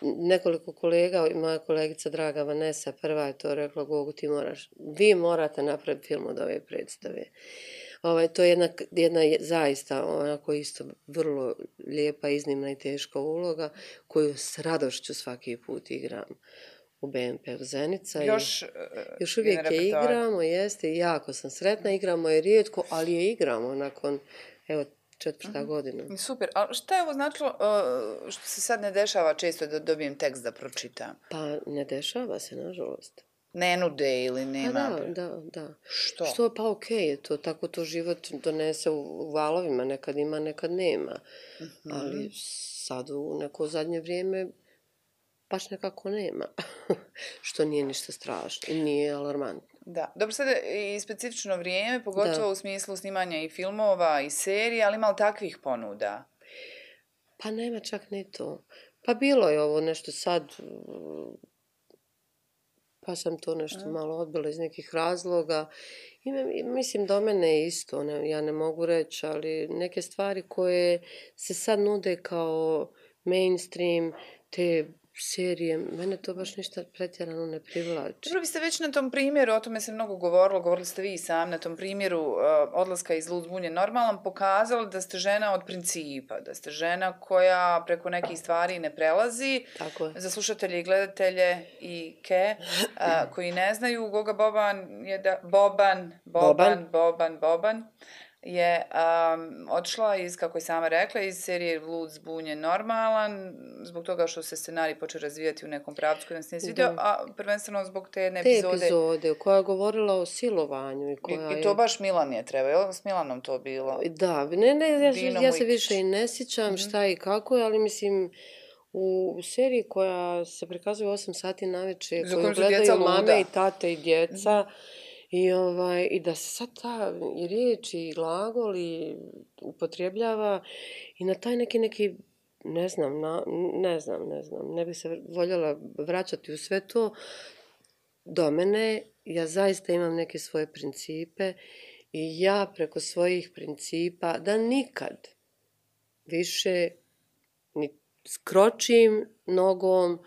Nekoliko kolega, moja kolegica draga Vanessa, prva je to rekla, Gogu, ti moraš, vi morate napraviti film od ove predstave. Ovaj, to je jedna, jedna zaista onako isto vrlo lijepa, iznimna i teška uloga koju s radošću svaki put igram u B M P-u Zenica. Još, I, još uvijek je igramo, jeste, jako sam sretna, igramo je rijetko, ali je igramo nakon, evo, četvrta uh-huh. godina. Super. A šta je ovo značilo uh, što se sad ne dešava često da dobijem tekst da pročitam? Pa ne dešava se, nažalost. Ne nude ili nema? Pa da, da, da. Što? Što pa okej okay je to, tako to život donese u valovima, nekad ima, nekad nema. Uh-huh. Ali sad u neko zadnje vrijeme baš nekako nema. Što nije ništa strašno i nije alarmantno. Da, dobro, sad je i specifično vrijeme, pogotovo da. U smislu snimanja i filmova i serija, ali ima li takvih ponuda? Pa nema čak ni to. Pa bilo je ovo nešto sad, pa sam to nešto malo odbila iz nekih razloga. I mislim do mene je isto, ne, ja ne mogu reći, ali neke stvari koje se sad nude kao mainstream, te serije, mene to baš ništa pretjerano ne privlači. Dobro, vi ste već na tom primjeru, o tome se mnogo govorilo, govorili ste vi sam na tom primjeru uh, odlaska iz Lud zbunjen normalan, pokazali da ste žena od principa, da ste žena koja preko nekih stvari ne prelazi. Tako je. Za slušatelje i gledatelje i ke, uh, koji ne znaju, Goga Boban je da... Boban, Boban, Boban, Boban, Boban je um, odšla iz, kako je sama rekla, iz serije Lud zbunjen normalan, zbog toga što se scenarij počeo razvijati u nekom pravcu koji nas nije svidio, a prvenstveno zbog te jedne te epizode. Te epizode koja je govorila o silovanju. I, koja I, i to je... baš Milan je treba, je li s Milanom to bilo? Da, ne, ne, ja, ja se više i ne sjećam mm-hmm. šta i kako je, ali mislim, U seriji koja se prikazuje osam sati navečer, Za koju kojom su djeca gledaju luda. mame i tate i djeca, i, ovaj, i da se sad ta i riječ i glagol i upotrebljava i na taj neki neki, ne znam, na, ne znam, ne znam, ne bih se voljela vraćati u sve to. Do mene, ja zaista imam neke svoje principe i ja preko svojih principa da nikad više ni skročim nogom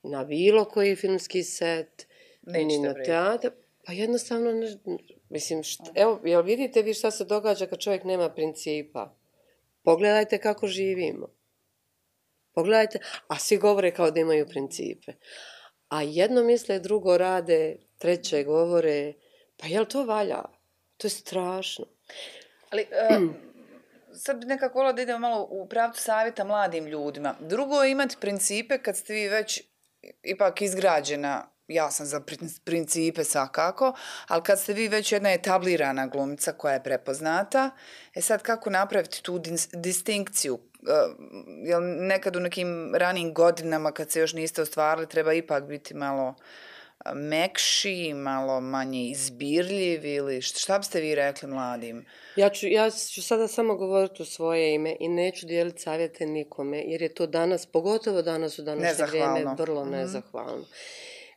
na bilo koji filmski set, ni Nećete na bre. teatr, pa jednostavno, ne, mislim, šta, evo, jel vidite vi šta se događa kad čovjek nema principa? Pogledajte kako živimo. Pogledajte, a svi govore kao da imaju principe. A jedno misle, drugo rade, treće govore, pa jel to valja? To je strašno. Ali, e, sad bi nekako volila da idemo malo u pravcu savjeta mladim ljudima. Drugo je imati principe kad ste vi već ipak izgrađena, ja sam za prin- principe svakako, ali kad ste vi već jedna etablirana glumica koja je prepoznata, e sad kako napraviti tu dis- distinkciju? E, jel nekad u nekim ranijim godinama kad se još niste ostvarili treba ipak biti malo e, mekši, malo manje izbirljiv ili št- šta biste vi rekli mladim? Ja ću, ja ću sada samo govoriti u svoje ime i neću dijeliti savjete nikome, jer je to danas, pogotovo danas u današnje vrijeme, Nezahvalno. vrlo Mhm. nezahvalno.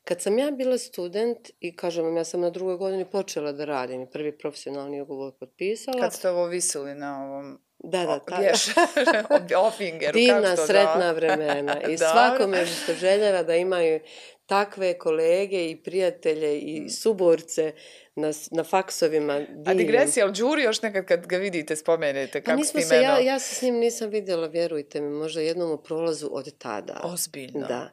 Kad sam ja bila student i kažem vam, ja sam na drugoj godini počela da radim i prvi profesionalni ugovor potpisala. Kad ste ovo visili na ovom Da, da, o- ta- gdješ, o fingeru, divna, kako se to sretna zove? vremena i Da. svakome bi se željela da imaju takve kolege i prijatelje i suborce na, s- na faksovima. A divnim. digresija, ali Đuri još nekad kad ga vidite spomenete, Pa kako nismo ste se, ja, imeno? ja se s njim nisam vidjela, vjerujte mi, možda jednom u prolazu od tada. Ozbiljno. Da.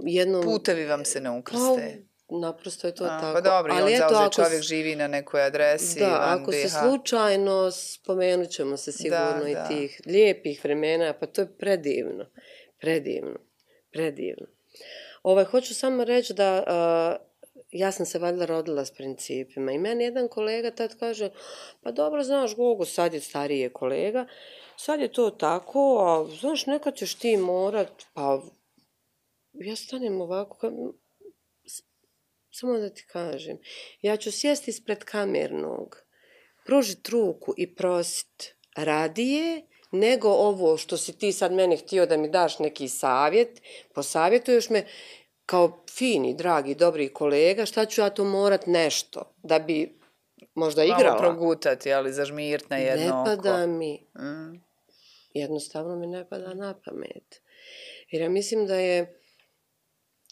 Jednom... Putevi vam se ne Pa, ukrste. naprosto je to A, tako. pa dobro, i Ali on eto, zauzet ako čovjek s- živi na nekoj adresi Da, van ako B se iH. slučajno spomenut ćemo se sigurno Da, i da. tih lijepih vremena, pa to je predivno, predivno, predivno. Ovaj, hoću samo reći da a, ja sam se valjda rodila s principima i meni jedan kolega tad kaže, pa dobro, znaš, Gogo, sad je stariji kolega, sad je to tako, a znaš, nekad ćeš ti morat, pa ja stanem ovako, ka- s- samo da ti kažem, ja ću sjesti ispred kamernog, pružit ruku i prosit radije nego ovo što si ti sad meni htio da mi daš neki savjet, posavjetuješ me kao fini, dragi, dobri kolega, šta ću ja to morat nešto da bi možda Malo igrala. progutati, ali zažmirt na jedno Ne oko. pada mi, Mm. jednostavno mi ne pada na pamet. Jer ja mislim da je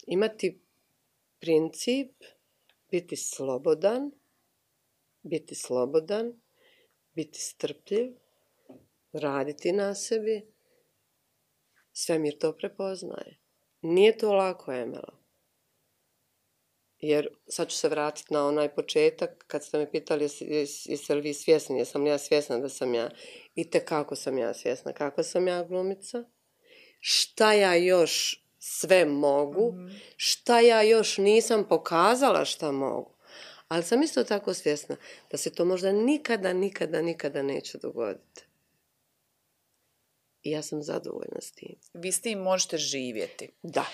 imati princip, biti slobodan, biti slobodan, biti strpljiv, raditi na sebi, svemir to prepoznaje. Nije to lako, Emela. Jer sad ću se vratiti na onaj početak kad ste me pitali jesi, jes, jeste li vi svjesni, jesam li ja svjesna da sam ja. I tekako sam ja svjesna kako sam ja glumica, šta ja još sve mogu, šta ja još nisam pokazala šta mogu. Ali sam isto tako svjesna da se to možda nikada, nikada, nikada neće dogoditi. I ja sam zadovoljna s tim. Vi s tim možete živjeti. Da.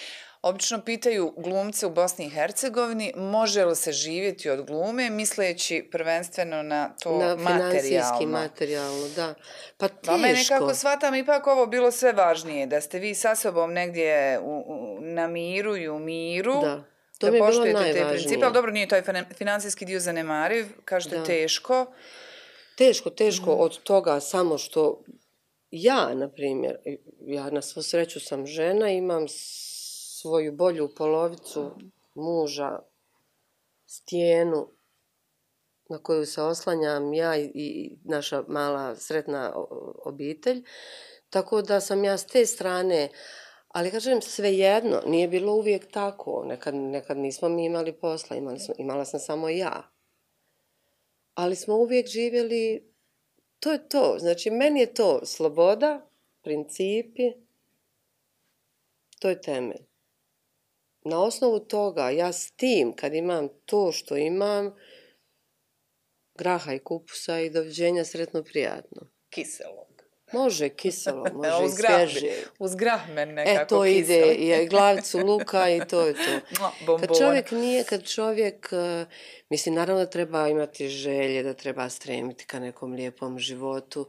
Obično pitaju glumce u Bosni i Hercegovini može li se živjeti od glume, misleći prvenstveno na to Na financijski, materijalno. materijalno, da. Pa Vama je teško. nekako, shvatam, ipak ovo bilo sve važnije, da ste vi sa sobom negdje u, u, na miru i u miru, Da. To da mi je bilo poštujete te najvažnije. principe, ali dobro, nije taj fina- financijski dio zanemariv, kažete Da. teško. Teško, teško Mhm. od toga samo što ja, na primjer, ja na svu sreću sam žena, imam svoju bolju polovicu muža, stijenu na koju se oslanjam ja i, i naša mala sretna o- obitelj. Tako da sam ja s te strane, ali kažem svejedno, nije bilo uvijek tako. Nekad, nekad nismo mi imali posla, imali smo, imala sam samo ja. Ali smo uvijek živjeli, to je to. Znači, meni je to sloboda, principi, to je temelj. Na osnovu toga, ja s tim, kad imam to što imam, graha i kupusa i doviđenja, sretno, prijatno. Kiselog. Može kiselo, može i Uz grah bi- svježe. Uz grah meni nekako E, to ide, i glavicu luka i to je to. Mua, bombona. Kad čovjek nije, kad čovjek, eh, mislim, naravno da treba imati želje, da treba stremiti ka nekom lijepom životu,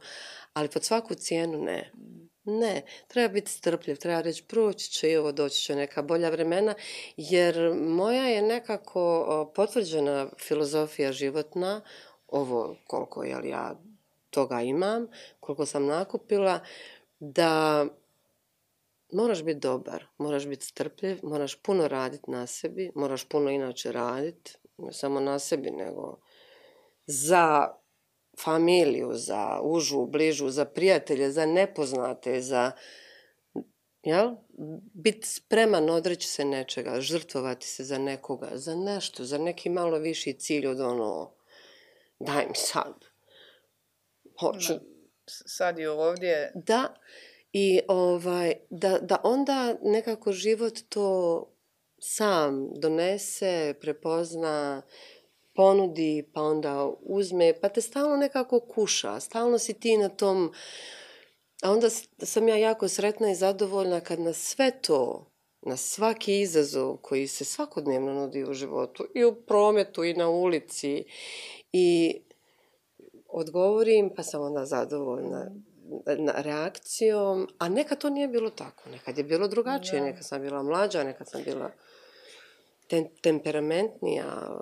ali pod svaku cijenu ne. Ne, treba biti strpljiv, treba reći proći će i ovo, doći će neka bolja vremena, jer moja je nekako o, potvrđena filozofija životna, ovo koliko jel, ja toga imam, koliko sam nakupila, da moraš biti dobar, moraš biti strpljiv, moraš puno raditi na sebi, moraš puno inače raditi, ne samo na sebi, nego za familiju, za užu, bližu, za prijatelje, za nepoznate, za, jel? Biti spreman odreći se nečega, žrtvovati se za nekoga, za nešto, za neki malo viši cilj od ono, daj mi sad. Hoću. Sad je ovdje... Da, i ovaj, da, da onda nekako život to sam donese, prepozna, ponudi, pa onda uzme, pa te stalno nekako kuša, stalno si ti na tom, a onda sam ja jako sretna i zadovoljna kad na sve to, na svaki izazov koji se svakodnevno nudi u životu, i u prometu, i na ulici, i odgovorim, pa sam onda zadovoljna na reakcijom, a nekad to nije bilo tako, nekad je bilo drugačije, nekad sam bila mlađa, nekad sam bila tem temperamentnija,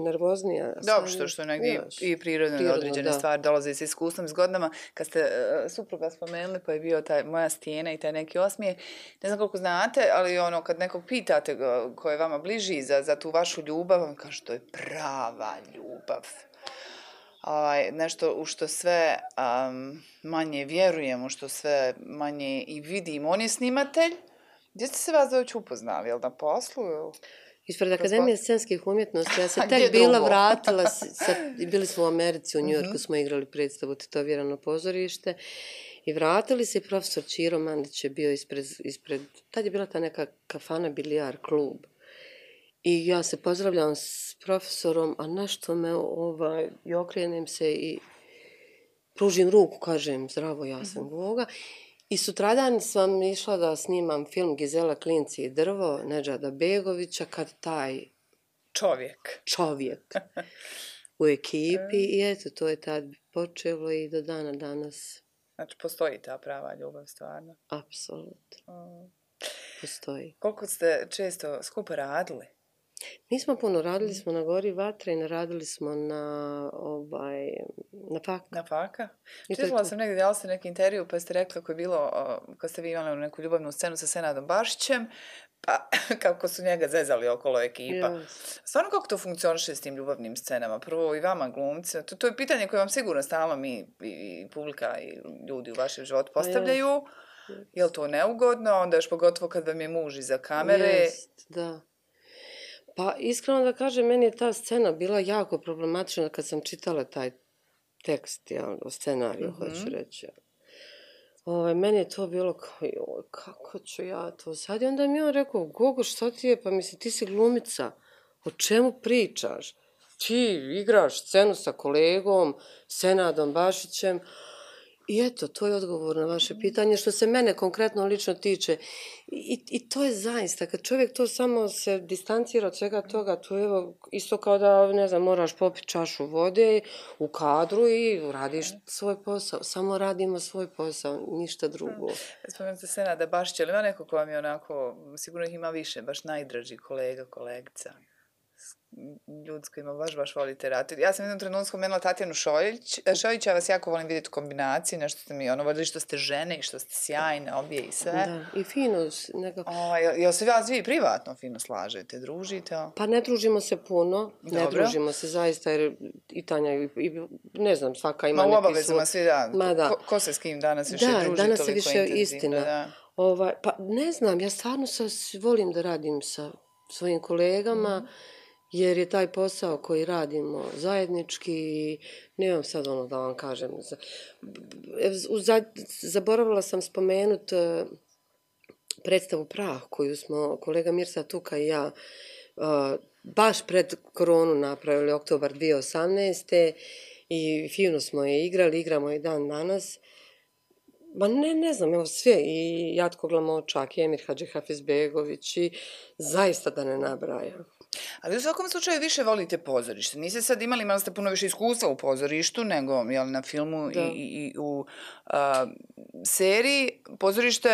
nervoznija. Dobro, što, što negdje Znaš, i prirodno, prirodno, određene da. stvari dolaze s iskustvom, s godinama. Kad ste uh, supruga spomenuli, pa je bio taj moja stijena i taj neki osmijeh, ne znam koliko znate, ali ono, kad nekog pitate ga, ko je vama bliži za, za tu vašu ljubav, on kaže, to je prava ljubav. Ovaj, nešto u što sve um, manje vjerujem, u što sve manje i vidim. On je snimatelj. Gdje ste se vas dvojić upoznali? Jel na poslu? Jel? Ispred Akademije scenskih umjetnosti, ja se A gdje tek bila drugo? vratila, sa, bili smo u Americi, u Njujorku smo igrali predstavu Tetovirano pozorište i vratili se, profesor Čiro Mandić je bio ispred, ispred, tad je bila ta neka kafana, bilijar, klub. I ja se pozdravljam s profesorom, a nešto me ovaj, i okrenem se i pružim ruku, kažem zdravo, ja sam Goga. I sutradan sam išla da snimam film Gizela Klinci i drvo Nedžada Begovića, kad taj Čovjek. čovjek u ekipi, i eto, to je tad počelo i do dana danas Znači, postoji ta prava ljubav, stvarno. apsolutno postoji. Koliko ste često skupo radili? Nismo puno, radili smo na Gori vatre i radili smo na, ovaj, na fak. Na faka? I to je Čitala to. sam negdje, dala ste neki intervju, pa ste rekli kako je bilo, uh, kad ste vi imali neku ljubavnu scenu sa Senadom Bašićem, pa kako su njega zezali okolo ekipa. Yes. Stvarno kako to funkcioniše s tim ljubavnim scenama? Prvo i vama glumci, to, to je pitanje koje vam sigurno stalno mi i, i publika i ljudi u vašem životu postavljaju. Yes. Je li to neugodno? Onda još pogotovo kad vam je muž iza kamere. Jest, da. Pa iskreno da kažem, meni je ta scena bila jako problematična kad sam čitala taj tekst, ja, o scenariju, mm-hmm. hoću reći. Ove, meni je to bilo kao, joj, kako ću ja to sad? I onda mi je on rekao, Gogo, što ti je? Pa misli, ti si glumica, o čemu pričaš? Ti igraš scenu sa kolegom, Senadom Bašićem. I eto, to je odgovor na vaše pitanje, što se mene konkretno lično tiče. I, i to je zaista, kad čovjek to samo se distancira od svega toga, to je evo, isto kao da, ne znam, moraš popiti čašu vode u kadru i radiš svoj posao. Samo radimo svoj posao, ništa drugo. Spomenuti Senada Bašića, ali ima neko ko vam je onako, sigurno ih ima više, baš najdraži kolega, kolegica? Ljudi s kojima baš, baš volite raditi. Ja sam jednom trenutku spomenula Tatjanu Šoljić. Šoljić, ja vas jako volim vidjeti u kombinaciji, nešto ste mi ono vodili što ste žene i što ste sjajne, obje i sve. Da, i fino. Neka... O, jel, jel se vas vi privatno fino slažete, družite? O? Pa ne družimo se puno, Dobro. ne družimo se zaista, jer i Tanja, i, i ne znam, svaka ima Ma u neki obavezama svoj... svi, da. Ma, da. Ko, ko se s kim danas više da, druži danas se toliko više intenzivno? istina. Da. Ovaj, pa ne znam, ja stvarno sa, volim da radim sa svojim kolegama, mm. jer je taj posao koji radimo zajednički, nemam sad ono da vam kažem. Zaboravila sam spomenut predstavu Prah, koju smo kolega Mirsa Tuka i ja baš pred koronu napravili, oktobar dvije tisuće osamnaeste. i fino smo je igrali, igramo je dan danas. Ma ne, ne znam, evo sve, i Jatko Glamočak, i Emir Hadžihafizbegović, i zaista da ne nabrajam. Ali u svakom slučaju više volite pozorište. Niste sad imali, imali ste puno više iskustva u pozorištu nego jel, na filmu i, i, i u a, seriji. Pozorište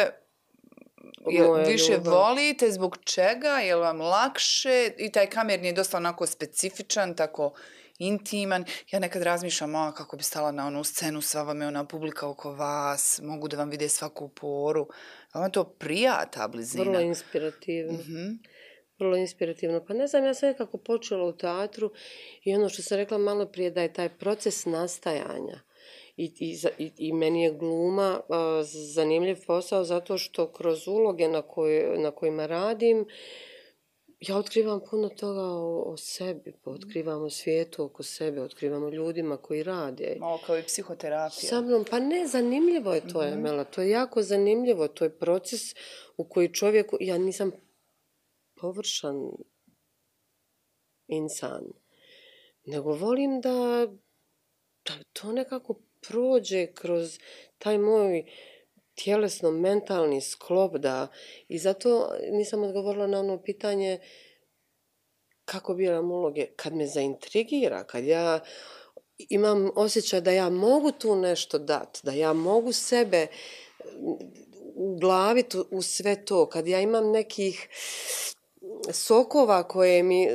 je, više ljubav. Volite, zbog čega, je li vam lakše i taj kamerni je dosta onako specifičan, tako intiman. Ja nekad razmišljam, a kako bi stala na onu scenu, sva vam je ona publika oko vas, mogu da vam vide svaku poru. Vam to prija ta blizina. Vrlo inspirativno. Mm-hmm. Vrlo inspirativno. Pa ne znam, ja sam nekako počela u teatru i ono što sam rekla malo prije, da je taj proces nastajanja. I, i, i, i meni je gluma uh, zanimljiv posao zato što kroz uloge na, koje, na kojima radim ja otkrivam puno toga o, o sebi, pa otkrivam o svijetu oko sebe, otkrivam o ljudima koji rade. Malo kao i psihoterapija. Sa mnom, pa ne, zanimljivo je to, mm-hmm. Emela, to je jako zanimljivo, to je proces u koji čovjek, ja nisam površan insan, nego volim da, da to nekako prođe kroz taj moj tjelesno-mentalni sklop, da, i zato nisam odgovorila na ono pitanje kako biram uloge. Kad me zaintrigira, kad ja imam osjećaj da ja mogu tu nešto dati, da ja mogu sebe uglaviti u sve to, kad ja imam nekih sokova koje mi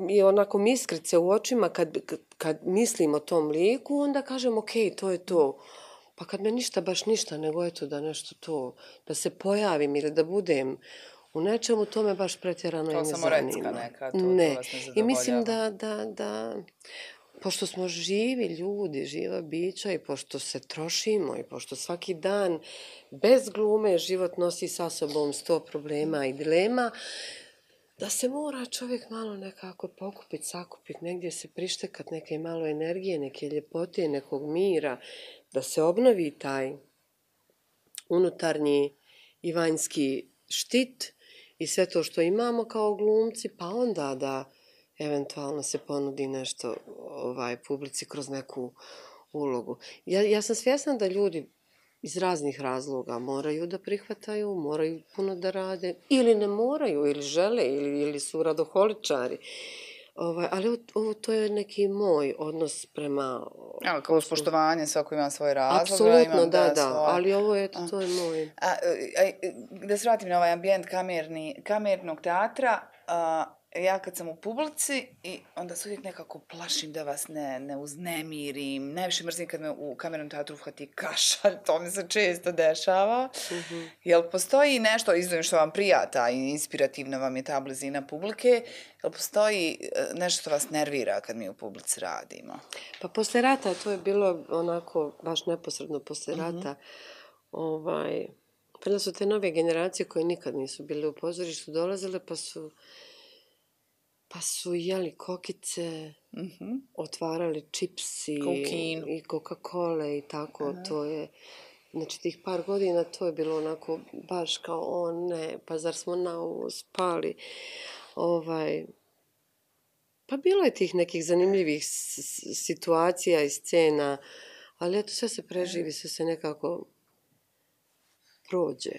i onako miskrice u očima kad, kad mislim o tom liku, onda kažem ok, to je to. Pa kad me ništa, baš ništa, nego eto da nešto to, da se pojavim ili da budem u nečemu, to me baš pretjerano i ne zanima. Kao samo recka neka, to, ne. to vas ne zadovoljava. I mislim da, da, da, pošto smo živi ljudi, živa bića i pošto se trošimo i pošto svaki dan bez glume život nosi sa sobom sto problema i dilema, da se mora čovjek malo nekako pokupiti, sakupiti, negdje se prištekat, neke malo energije, neke ljepote, nekog mira, da se obnovi taj unutarnji i vanjski štit i sve to što imamo kao glumci, pa onda da eventualno se ponudi nešto ovaj, publici kroz neku ulogu. Ja, ja sam svjesna da ljudi iz raznih razloga moraju da prihvataju, moraju puno da rade, ili ne moraju, ili žele, ili, ili su radoholičari. Ovaj, ali ovo, ovo to je neki moj odnos prema... Evo, kao poštovanje, svako ima svoje razloga. Apsolutno, da, da, da, ali ovo je, to, to je moj. A, a, da se vratim na ovaj ambijent kamerni, kamernog teatra, a, ja kad sam u publici i onda se uvijek nekako plašim da vas ne, ne uznemirim. Najviše mrzim kad me u kamernom teatru uhvati kašalj, to mi se često dešava. Mm-hmm. Jel postoji nešto, izdvojim što vam prijata i inspirativna vam je ta blizina publike, jel postoji nešto što vas nervira kad mi u publici radimo? Pa posle rata, to je bilo onako, baš neposredno posle rata, mm-hmm. ovaj, preda su te nove generacije koje nikad nisu bile u pozorištu dolazile, pa su Pa su jeli kokice, mm-hmm. otvarali čipsi i Coca-Cola i tako, aha. To je, znači tih par godina to je bilo onako baš kao, o ne, pa zar smo na ovo spali, ovaj, pa bilo je tih nekih zanimljivih situacija i scena, ali eto sve se preživi, sve se nekako prođe.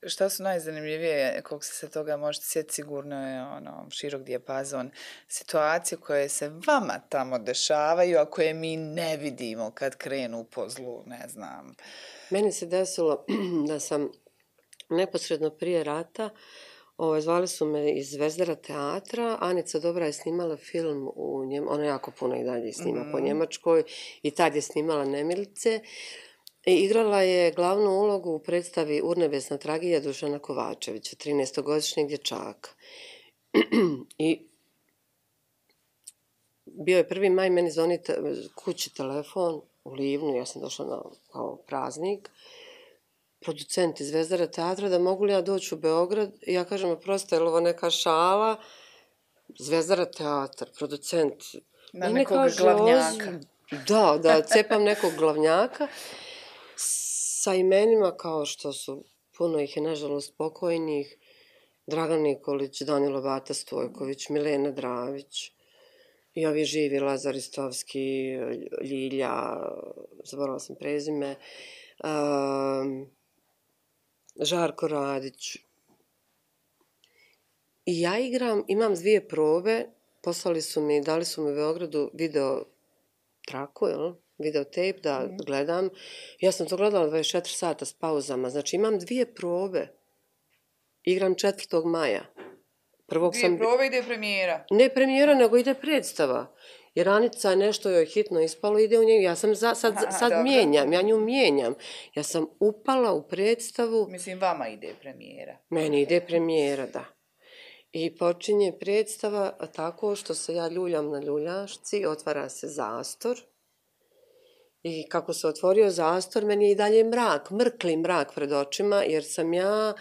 Šta su najzanimljivije, koliko se toga možete sjetiti, sigurno je ono, širok dijapazon situacije koje se vama tamo dešavaju, a koje mi ne vidimo kad krenu po zlu, ne znam. Meni se desilo da sam neposredno prije rata, ovaj, zvali su me iz Zvezdara teatra, Anica Dobra je snimala film u Njemačkoj, ona jako puno i dalje snima mm. po Njemačkoj i tad je snimala Nemilice. I igrala je glavnu ulogu u predstavi Urnebesna tragedija Dušana Kovačevića, trinaestogodišnjeg dječaka. I bio je prvi maj, meni zvoni te, kući telefon u Livnu, ja sam došla na kao praznik, producent iz Zvezdara teatra, da mogu li ja doći u Beograd. I ja kažem, prosto, je li ovo neka šala? Zvezdara teatar, producent. Na nekog glavnjaka. Da, da, cepam nekog glavnjaka. Sa imenima kao što su, puno ih je nažalost pokojnih, Dragan Nikolić, Danilo Bata Stojković, Milena Dravić, i ovi živi, Lazar Ristovski, Ljilja, zaboravila sam prezime, um, Žarko Radić. I ja igram, imam dvije probe, poslali su mi, dali su mi u Beogradu video traku, jel? Video tape da mm. gledam. Ja sam to gledala dvadeset četiri sata s pauzama. Znači imam dvije probe. Igram četvrtog maja. Prvog dvije sam... probe ide premijera? Ne premijera, nego ide predstava. Jer Anica nešto joj hitno ispalo, ide u njegu. Ja sam za, sad, Aha, sad dobro. mijenjam, ja nju mijenjam. Ja sam upala u predstavu. Mislim, vama ide premijera. Meni ide premijera, da. I počinje predstava tako što se ja ljuljam na ljuljašci, otvara se zastor. I kako se otvorio zastor, meni je i dalje mrak, mrkli mrak pred očima, jer sam ja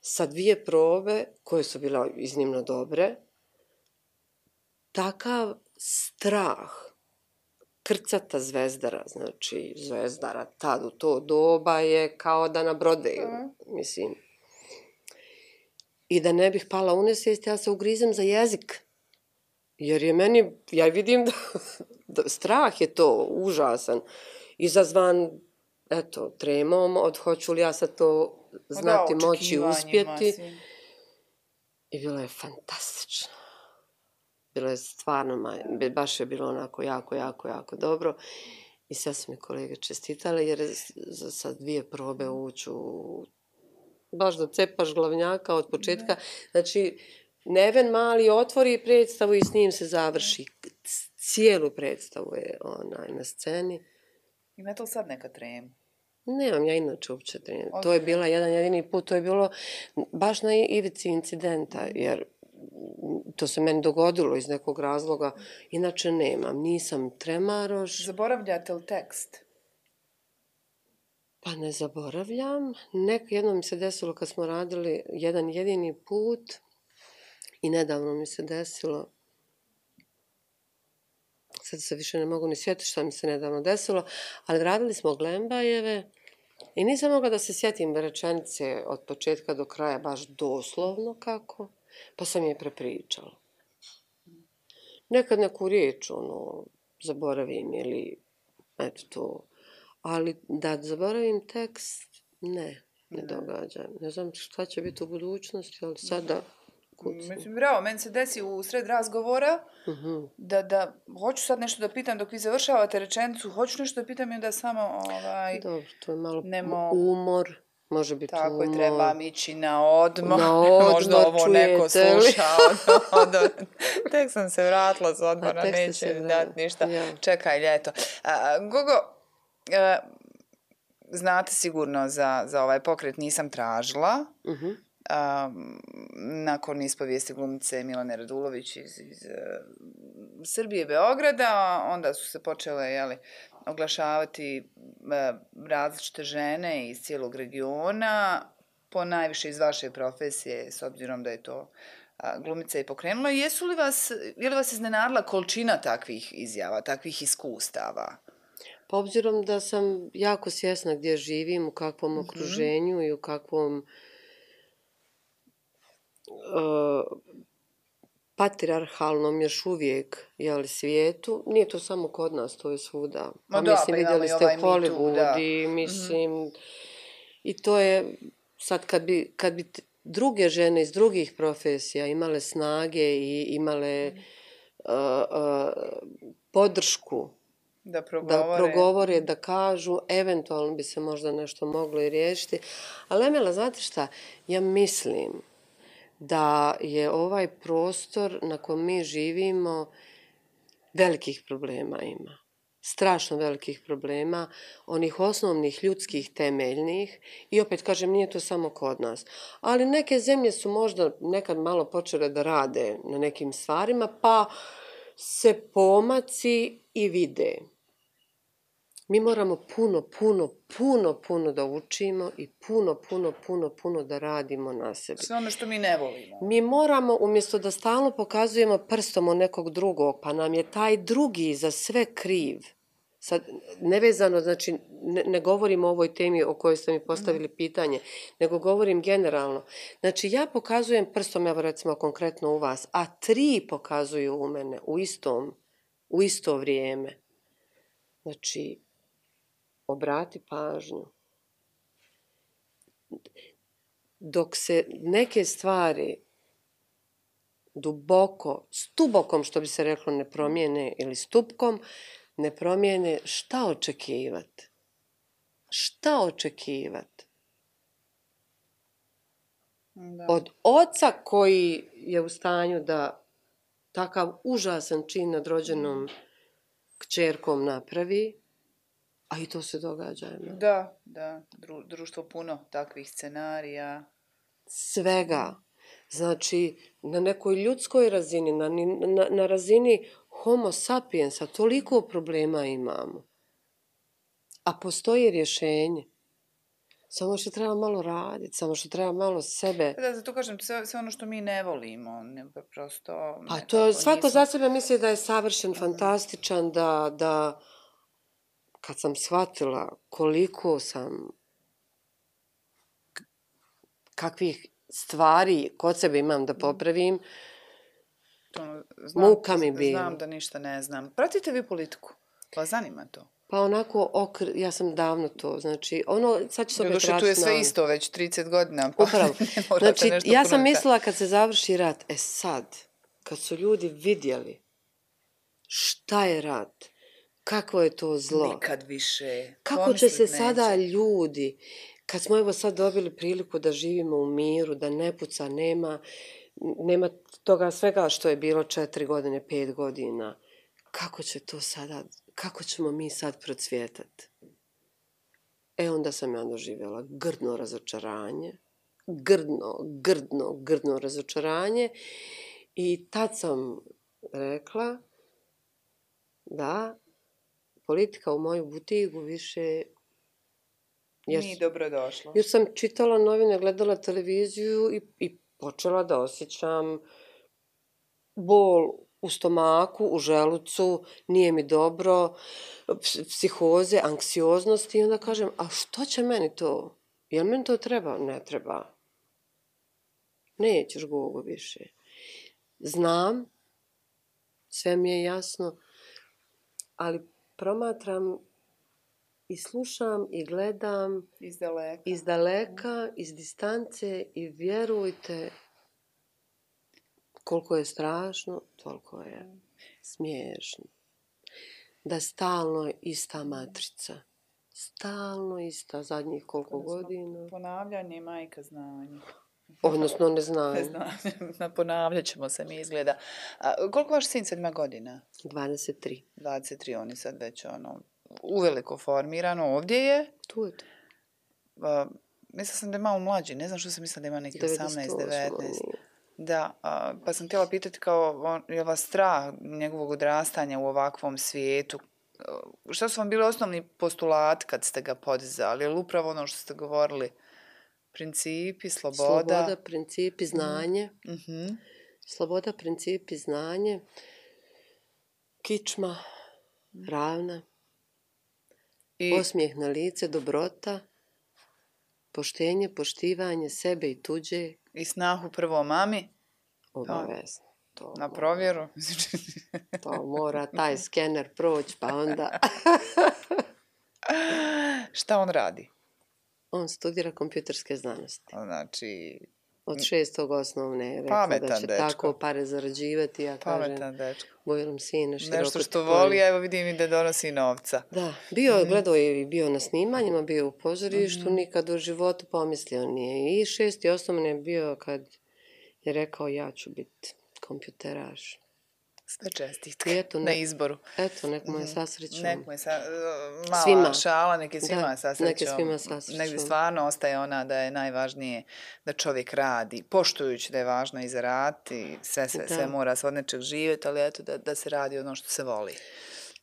sa dvije probe, koje su bile iznimno dobre, takav strah, krcata zvezdara, znači zvezdara tad u to doba je kao da na brodeju, mm. mislim. I da ne bih pala u nesvijest, ja se ugrizem za jezik. Jer je meni, ja vidim da, da strah je to užasan. Izazvan, eto, tremom od hoću li ja sad to znati, da, moći, uspjeti. Si. I bilo je fantastično. Bilo je stvarno, baš je bilo onako jako, jako, jako dobro. I sad su mi kolege čestitale jer za sad dvije probe uću baš da cepaš glavnjaka od početka. Znači, Neven Mali otvori predstavu i s njim se završi. Cijelu predstavu je onaj na sceni. Imate li sad neka trema? Nemam ja inače uopće trema. Okay. To je bila jedan jedini put. To je bilo baš na ivici incidenta, jer to se meni dogodilo iz nekog razloga. Inače nemam. Nisam tremaroš. Zaboravljate li tekst? Pa ne zaboravljam. Nek, jedno mi se desilo kad smo radili jedan jedini put i nedavno mi se desilo, sad se više ne mogu ni sjetiti šta mi se nedavno desilo, ali radili smo Glembajeve i nisam mogla da se sjetim rečenice od početka do kraja baš doslovno kako, pa sam je prepričala. Nekad neku riječ, ono, zaboravim ili eto to. Ali da zaboravim tekst, ne, ne događa. Ne znam šta će biti u budućnosti, ali sada kucam. Mislim, bravo, meni se desi u sred razgovora uh-huh. da, da hoću sad nešto da pitam dok vi završavate rečenicu, hoću nešto da pitam i da samo ovaj... Dobro, to je malo nemo... umor, može biti tako umor. Tako je, trebam ići na odmor. Na odmor, možda ovo neko sluša. Od, od, tek sam se vratila s odmora, neće dati ništa. Ja. Čekaj, ljeto. A, Gogo, a, znate sigurno za, za ovaj pokret Nisam tražila. Uh-huh. Um, nakon ispovijesti glumice Milane Radulović iz, iz uh, Srbije, Beograda, onda su se počele jeli, oglašavati uh, različite žene iz cijelog regiona, po najviše iz vaše profesije, s obzirom da je to uh, glumica i pokrenula. Jesu li vas, je li vas iznenadila količina takvih izjava, takvih iskustava? Pa obzirom da sam jako svjesna gdje živim, u kakvom mm-hmm. okruženju i u kakvom Uh, patrijarhalnom još uvijek jeli, svijetu. Nije to samo kod nas, to je svuda. Pa da, mislim, pa vidjeli ste ovaj u Hollywoodu i mislim, mm-hmm. i to je sad kad bi, kad bi druge žene iz drugih profesija imale snage i imale mm-hmm. uh, uh, podršku da progovore. da progovore, da kažu, eventualno bi se možda nešto moglo i riješiti. Ali Emela, znate šta, ja mislim da je ovaj prostor na kojem mi živimo velikih problema ima. Strašno velikih problema, onih osnovnih ljudskih temeljnih i opet kažem nije to samo kod nas. Ali neke zemlje su možda nekad malo počele da rade na nekim stvarima pa se pomaci i vide. Mi moramo puno, puno, puno, puno da učimo i puno, puno, puno, puno da radimo na sebi. Sve ono što mi ne volimo. Mi moramo, umjesto da stalno pokazujemo prstom od nekog drugog, pa nam je taj drugi za sve kriv, Sad, nevezano, znači, ne, ne govorim o ovoj temi o kojoj ste mi postavili pitanje, nego govorim generalno. Znači, ja pokazujem prstom, evo recimo konkretno u vas, a tri pokazuju u mene u istom, u isto vrijeme. Znači, obrati pažnju. Dok se neke stvari duboko, stubokom, što bi se reklo, ne promijene, ili stupkom, ne promijene, šta očekivati? Šta očekivati? Da. Od oca koji je u stanju da takav užasan čin nad rođenom kćerkom napravi, a i to se događa. Ne? Da, da, Dru, društvo puno takvih scenarija. Svega. Znači, na nekoj ljudskoj razini, na, na, na razini homo sapiensa, toliko problema imamo. A postoji rješenje. Samo što treba malo raditi, samo što treba malo sebe... Da, zato kažem, sve, sve ono što mi ne volimo, ne, prosto... Pa to svako nisam... za sebe misli da je savršen, fantastičan, da, da... Kad sam shvatila koliko sam... kakvih stvari kod sebe imam da popravim, to, znam, muka mi bila. Znam da ništa ne znam. Pratite vi politiku? Pa zanima to? Pa onako, okr, ja sam davno to, znači, ono, sad ću se opet Doduše, tu je sve isto već trideset godina, pa Upravo. ne morate Znači, nešto ja sam puno mislila kad se završi rat, e sad, kad su ljudi vidjeli šta je rat, kakvo je to zlo. Nikad više. Kako će se sada ljudi, kad smo evo sad dobili priliku da živimo u miru, da ne puca, nema, nema toga svega što je bilo četiri godine, pet godina, kako će to sada, kako ćemo mi sad procvjetati? E onda sam ja doživjela grdno razočaranje, grdno, grdno, grdno razočaranje i tad sam rekla da politika u moju butigu više... Jer... Nije dobro došlo. Jer sam čitala novine, gledala televiziju i, i počela da osjećam bol u stomaku, u želucu, nije mi dobro, psihoze, anksioznosti i onda kažem, a što će meni to? Jel meni to treba? Ne treba. Nećeš Gogo više. Znam, sve mi je jasno, ali promatram i slušam i gledam iz daleka, iz, daleka, iz distance i vjerujte, koliko je strašno, toliko je smiješno. Da stalno je ista matrica. Stalno ista, zadnjih koliko godina. Ponavljanje majka znanja. Odnosno neznanje. Neznanje. Ponavljat ćemo se, mi izgleda. A, koliko vaš sin sad ima godina? dvadeset tri. dvadeset tri, on je sad već ono, uveliko formirano. Ovdje je? Tu je to. A, mislila sam da je malo mlađi, ne znam što sam mislila da ima neki osamnaest devetnaest. Da, a, pa sam htjela pitati kao, on, je vas strah njegovog odrastanja u ovakvom svijetu? Šta su vam bili osnovni postulati kad ste ga podizali? Je li upravo ono što ste govorili? Principi, sloboda? Sloboda, principi, znanje. Mm-hmm. Sloboda, principi, znanje. Kičma, ravna. I... Osmijeh na lice, dobrota. Poštenje, poštivanje sebe i tuđe. I snahu prvo mami? Obavezno. To na provjeru? To mora taj skener proći, pa onda... Šta on radi? On studira kompjuterske znanosti. Znači... Od šestog osnovne je rekao da će dečko. Tako pare zarađivati. Ja pametan dečko. Bojom sine široko. Nešto što voli, evo vidim i da donosi novca. Da, bio, mm-hmm. gledao je i bio na snimanjima, bio u pozorištu, mm-hmm. nikad u životu pomislio nije. I šesti osnovne je bio kad je rekao ja ću biti kompjuteraš. Sve čestitke eto, na izboru. Eto, nek mu je sa srećom. Nek mu je sa, uh, mala svima. šala, nek je svima da, sa srećom. Nek je svima sa srećom. Negdje stvarno ostaje ona da je najvažnije da čovjek radi, poštujući da je važno i zaraditi, sve, sve, sve mora se od nečeg živjeti, ali eto da, da se radi ono što se voli.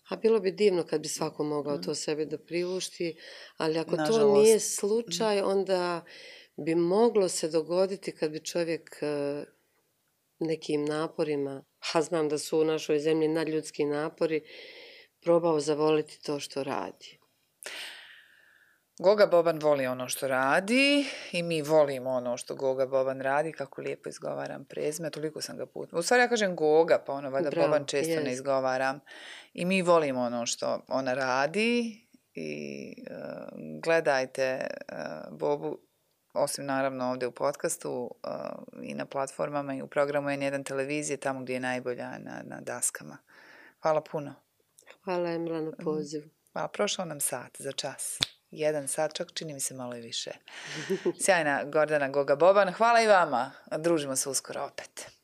A bilo bi divno kad bi svako mogao mm. to sebi da priušti, ali ako Nažalost. to nije slučaj, onda bi moglo se dogoditi kad bi čovjek uh, nekim naporima, a znam da su u našoj zemlji nadljudski napori, probao zavoliti to što radi. Goga Boban voli ono što radi i mi volimo ono što Goga Boban radi, kako lijepo izgovaram prezime, toliko sam ga put. U stvari ja kažem Goga, pa ono valjda Bravo, Boban često ne jest. izgovaram. I mi volimo ono što ona radi i uh, gledajte uh, Bobu, osim naravno ovdje u podcastu uh, i na platformama i u programu N jedan televizije, tamo gdje je najbolja na, na daskama. Hvala puno. Hvala Emila na pozivu. Hvala, prošao nam sat za čas. Jedan sat, čak čini mi se malo i više. Sjajna Gordana Goga Boban. Hvala i vama. Družimo se uskoro opet.